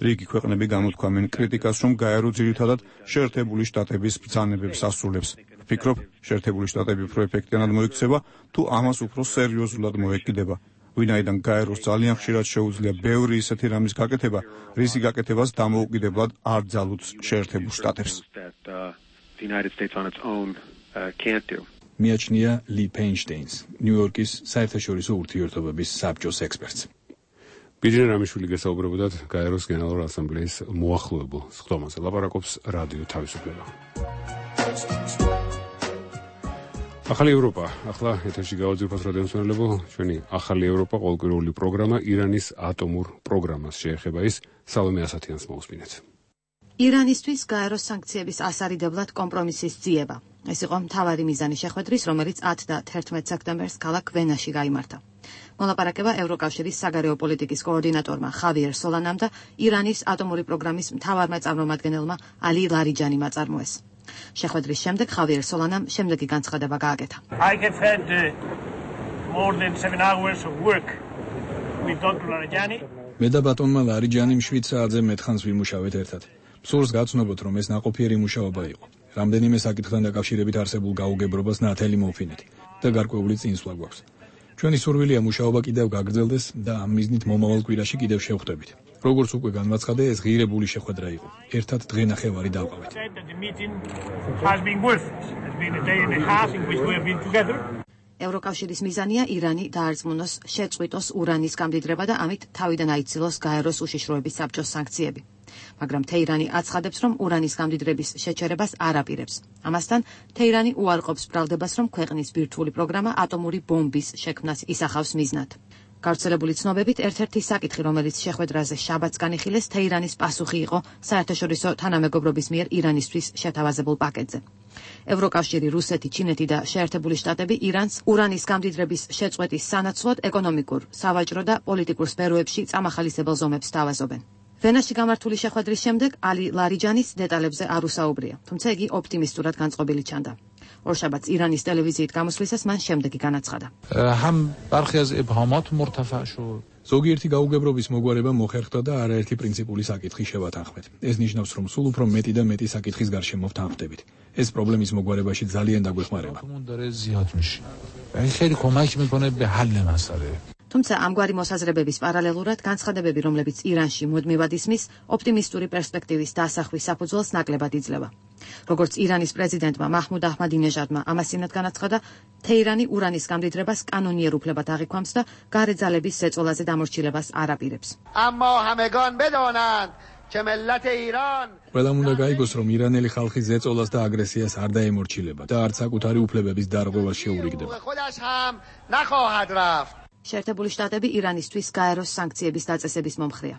რიგი ქვეყნები გამოთქვამენ კრიტიკას, რომ გაერო ძირითადად შეერთებული შტატების ბრძანებებს ასრულებს. ვფიქრობ, შეერთებული შტატები უფრო ეფექტიანად მოიქცება, თუ ამას უფრო სერიოზულად მოეკიდება. ვინაიდან გაეროს ძალიან ხშირად შეუძლია ბევრი ისეთი რამის გაკეთება, რისი გაკეთებას დამოუკიდებლად არ ძალუძს შეერთებულ შტატებს. მიაჩნია ლი ფეინშტეინს, ნიუ-იორკის საერთაშორისო ურთიერთობების საბჭოს ექსპერტს. ბიძინა რამიშვილი გესაუბრებოდათ გაეროს გენერალური ასამბლეის მოახლოებულ სხდომაზე. ლაპარაკობს რადიო თავისუფლება. ახალი ევროპა, ახლა ეთერში გავაძირფოთ რადიო მსმენელებო, ჩვენი ახალი ევროპა ყოველკვირეული პროგრამა ირანის ატომურ პროგრამას შეეხება, ის სალომე ასათიანს მოусმინეთ. ირანისთვის გაეროს სანქციების ასარიდებლად კომპრომისის ძიება. ეს იყო მთავარი მიზანი შეხვედრის, რომელიც 10 და 11 სექტემბერს ქალაქ ვენაში გაიმართა. მოლაპარაკება ევროკავშირის საგარეო პოლიტიკის კოორდინატორმა ხავიერ სოლანამ და ირანის ატომური პროგრამის მთავარმა წარმომადგენელმა ალი ლარიჯანიმ აწარმოეს. შეხვედრის შემდეგ ხავიერ სოლანამ შემდეგი განცხადება გააკეთა. მე და ბატონმა ლარიჯანიმ 7 საათზე მეტხანს ვიმუშავეთ ერთად. სურს გაცნობოთ, რომ ეს ნაყოფიერი მუშაობა იყო. რამდენიმე საკითხთან დაკავშირებით არსებულ გაუგებრობას ნათელი მოვფინეთ და გარკვეული წინსვლა გვაქვს. ჩვენი სურვილია მუშაობა კიდევ გაგრძელდეს და ამ მიზნით მომავალ კვირაში კიდევ შევხვდებით. როგორც უკვე განმაცხადე, ეს ღირებული შეხვედრა იყო. ერთად დღე-ნახევარი დავყავით. ევროკავშირის მიზანია ირანი დაარწმუნოს შეწყვიტოს ურანის გამდიდრება და ამით თავიდან აიცილოს გაეროს უშიშროების საბჭოს სანქციები. მაგრამ თეირანი აცხადებს, რომ ურანის გამდიდრების შეჩერებას არ აპირებს. ამასთან თეირანი უარყოფს ბრალდებას, რომ ქვეყნის ბირთვული პროგრამა ატომური ბომბის შექმნას ისახავს მიზნად. გავრცელებული ცნობებით, ერთ-ერთი საკითხი, რომელიც შეხვედრაზე შაბათს განიხილეს, თეირანის პასუხი იყო საერთაშორისო თანამეგობრობის მიერ ირანისთვის შეთავაზებულ პაკეტზე. ევროკავშირი, რუსეთი, ჩინეთი და შეერთებული შტატები ირანს ურანის გამდიდრების შეწყვეტის სანაცვლოდ ეკონომიკურ, სავაჭრო და პოლიტიკურ სფეროებში წამახალისებელ ზომებს თავაზობენ. ვენაში გამართული შეხვედრის შემდეგ ალი ლარიჯანის დეტალებზე არ უსაუბრია, თუმცა იგი ოპტიმისტურად განწყობილი ჩანდა. ორშაბათს ირანის ტელევიზიით გამოსვლისას მან შემდეგი განაცხადა. ზოგიერთი გაუგებრობის მოგვარება მოხერხდა და არაერთი პრინციპული საკითხი შევათანხმეთ. ეს ნიშნავს, რომ სულ უფრო მეტი და მეტი საკითხის გარშემო ვთანხმდებით. ეს პრობლემის მოგვარებაში ძალიან დაგვეხმარება. თუმცა ამგვარი მოსაზრებების პარალელურად განცხადებები, რომლებიც ირანში მუდმივად ისმის, ოპტიმისტური პერსპექტივის დასახვის საფუძველს ნაკლებად იძლევა. როგორც ირანის პრეზიდენტმა მაჰმუდ აჰმადინეჟადმა ამასინად განაცხადა, თეირანი ურანის გამდიდრებას კანონიერ უფლებად აღიქვამს და გარე ძალების ზეწოლაზე დამორჩილებას არ აპირებს. ყველამ უნდა გაიგოს, რომ ირანელი ხალხი ზეწოლას და აგრესიას არ დაემორჩილება და არც საკუთარი უფლებების დარღვევას შეურიგდება. შეერთებული შტატები ირანისთვის გაეროს სანქციების დაწესების მომხრეა.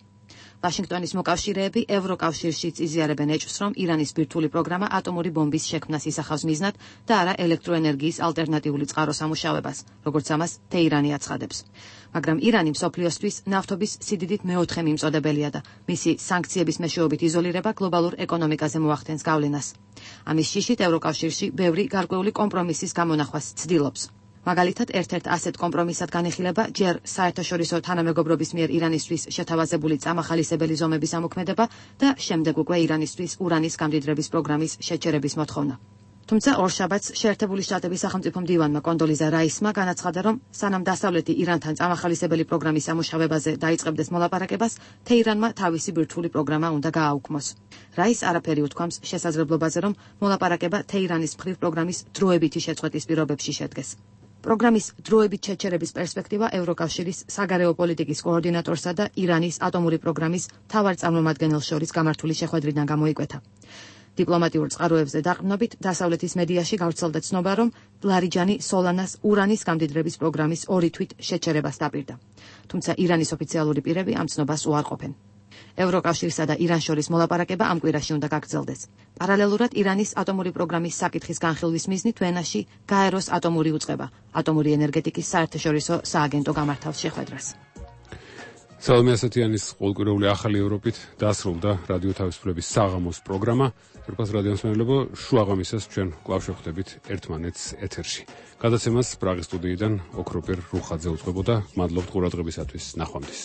ვაშინგტონის მოკავშირეები ევროკავშირშიც იზიარებენ ეჭვს, რომ ირანის ბირთვული პროგრამა ატომური ბომბის შექმნას ისახავს მიზნად და არა ელექტროენერგიის ალტერნატიული წყაროს ამუშავებას, როგორც ამას თეირანი აცხადებს. მაგრამ ირანი მსოფლიოსთვის ნავთობის სიდიდით მეოთხე მიმწოდებელია და მისი სანქციების მეშვეობით იზოლირება გლობალურ ეკონომიკაზე მოახდენს გავლენას. ამის შიშით ევროკავშირში ბევრი გარკვეული კომპრომისის გამონახვას ცდილობს. მაგალითად, ერთ-ერთ ასეთ კომპრომისად განიხილება ჯერ საერთაშორისო თანამეგობრობის მიერ ირანისთვის შეთავაზებული წამახალისებელი ზომების ამოქმედება და შემდეგ უკვე ირანისთვის ურანის გამდიდრების პროგრამის შეჩერების მოთხოვნა. თუმცა ორშაბათს შეერთებული შტატების სახელმწიფო მდივანმა კონდოლიზა რაისმა განაცხადა, რომ სანამ დასავლეთი ირანთან წამახალისებელი პროგრამის სამუშავებაზე დაიწყებდეს მოლაპარაკებას, თეირანმა თავისი ბირთვული პროგრამა უნდა გააუქმოს. რაის არაფერი უთქვამს შესაძლებლობაზე, რომ მოლაპარაკება თეირანის მხრივ პროგრამის დროებითი შეწყვეტის პირობებში შედგეს. პროგრამის დროებით შეჩერების პერსპექტივა ევროკავშირის საგარეო პოლიტიკის კოორდინატორსა და ირანის ატომური პროგრამის მთავარ წარმომადგენელს შორის გამართული შეხვედრიდან გამოიკვეთა. დიპლომატიურ წყაროებზე დაყრდნობით დასავლეთის მედიაში გავრცელდა ცნობა, რომ ლარიჯანი სოლანას ურანის გამდიდრების პროგრამის 2 თვით შეჩერებას დაპირდა. თუმცა ირანის ოფიციალური პირები ამ ცნობას უარყოფენ. ევროკავშირსა და ირანს შორის მოლაპარაკება ამ კვირაში უნდა გაგრძელდეს. პარალელურად ირანის ატომური პროგრამის საკითხის განხილვის მიზნით ვენაში გაეროს ატომური უწყება, ატომური ენერგეტიკის საერთაშორისო სააგენტო გამართავს შეხვედრას. სალომე ასათიანის ყოველკვირეული ახალი ევროპით დასრულდა რადიო თავისუფლების საღამოს პროგრამა. ფერფას რადიომსმენელებო, შუაღამისას ჩვენ კვლავ შევხვდებით ერთმანეთს ეთერში. გადაცემას პრაღის სტუდიიდან ოქროპერ რუხაძე უწყებოდა. მადლობთ ყურადღებისათვის. ნახვამდის.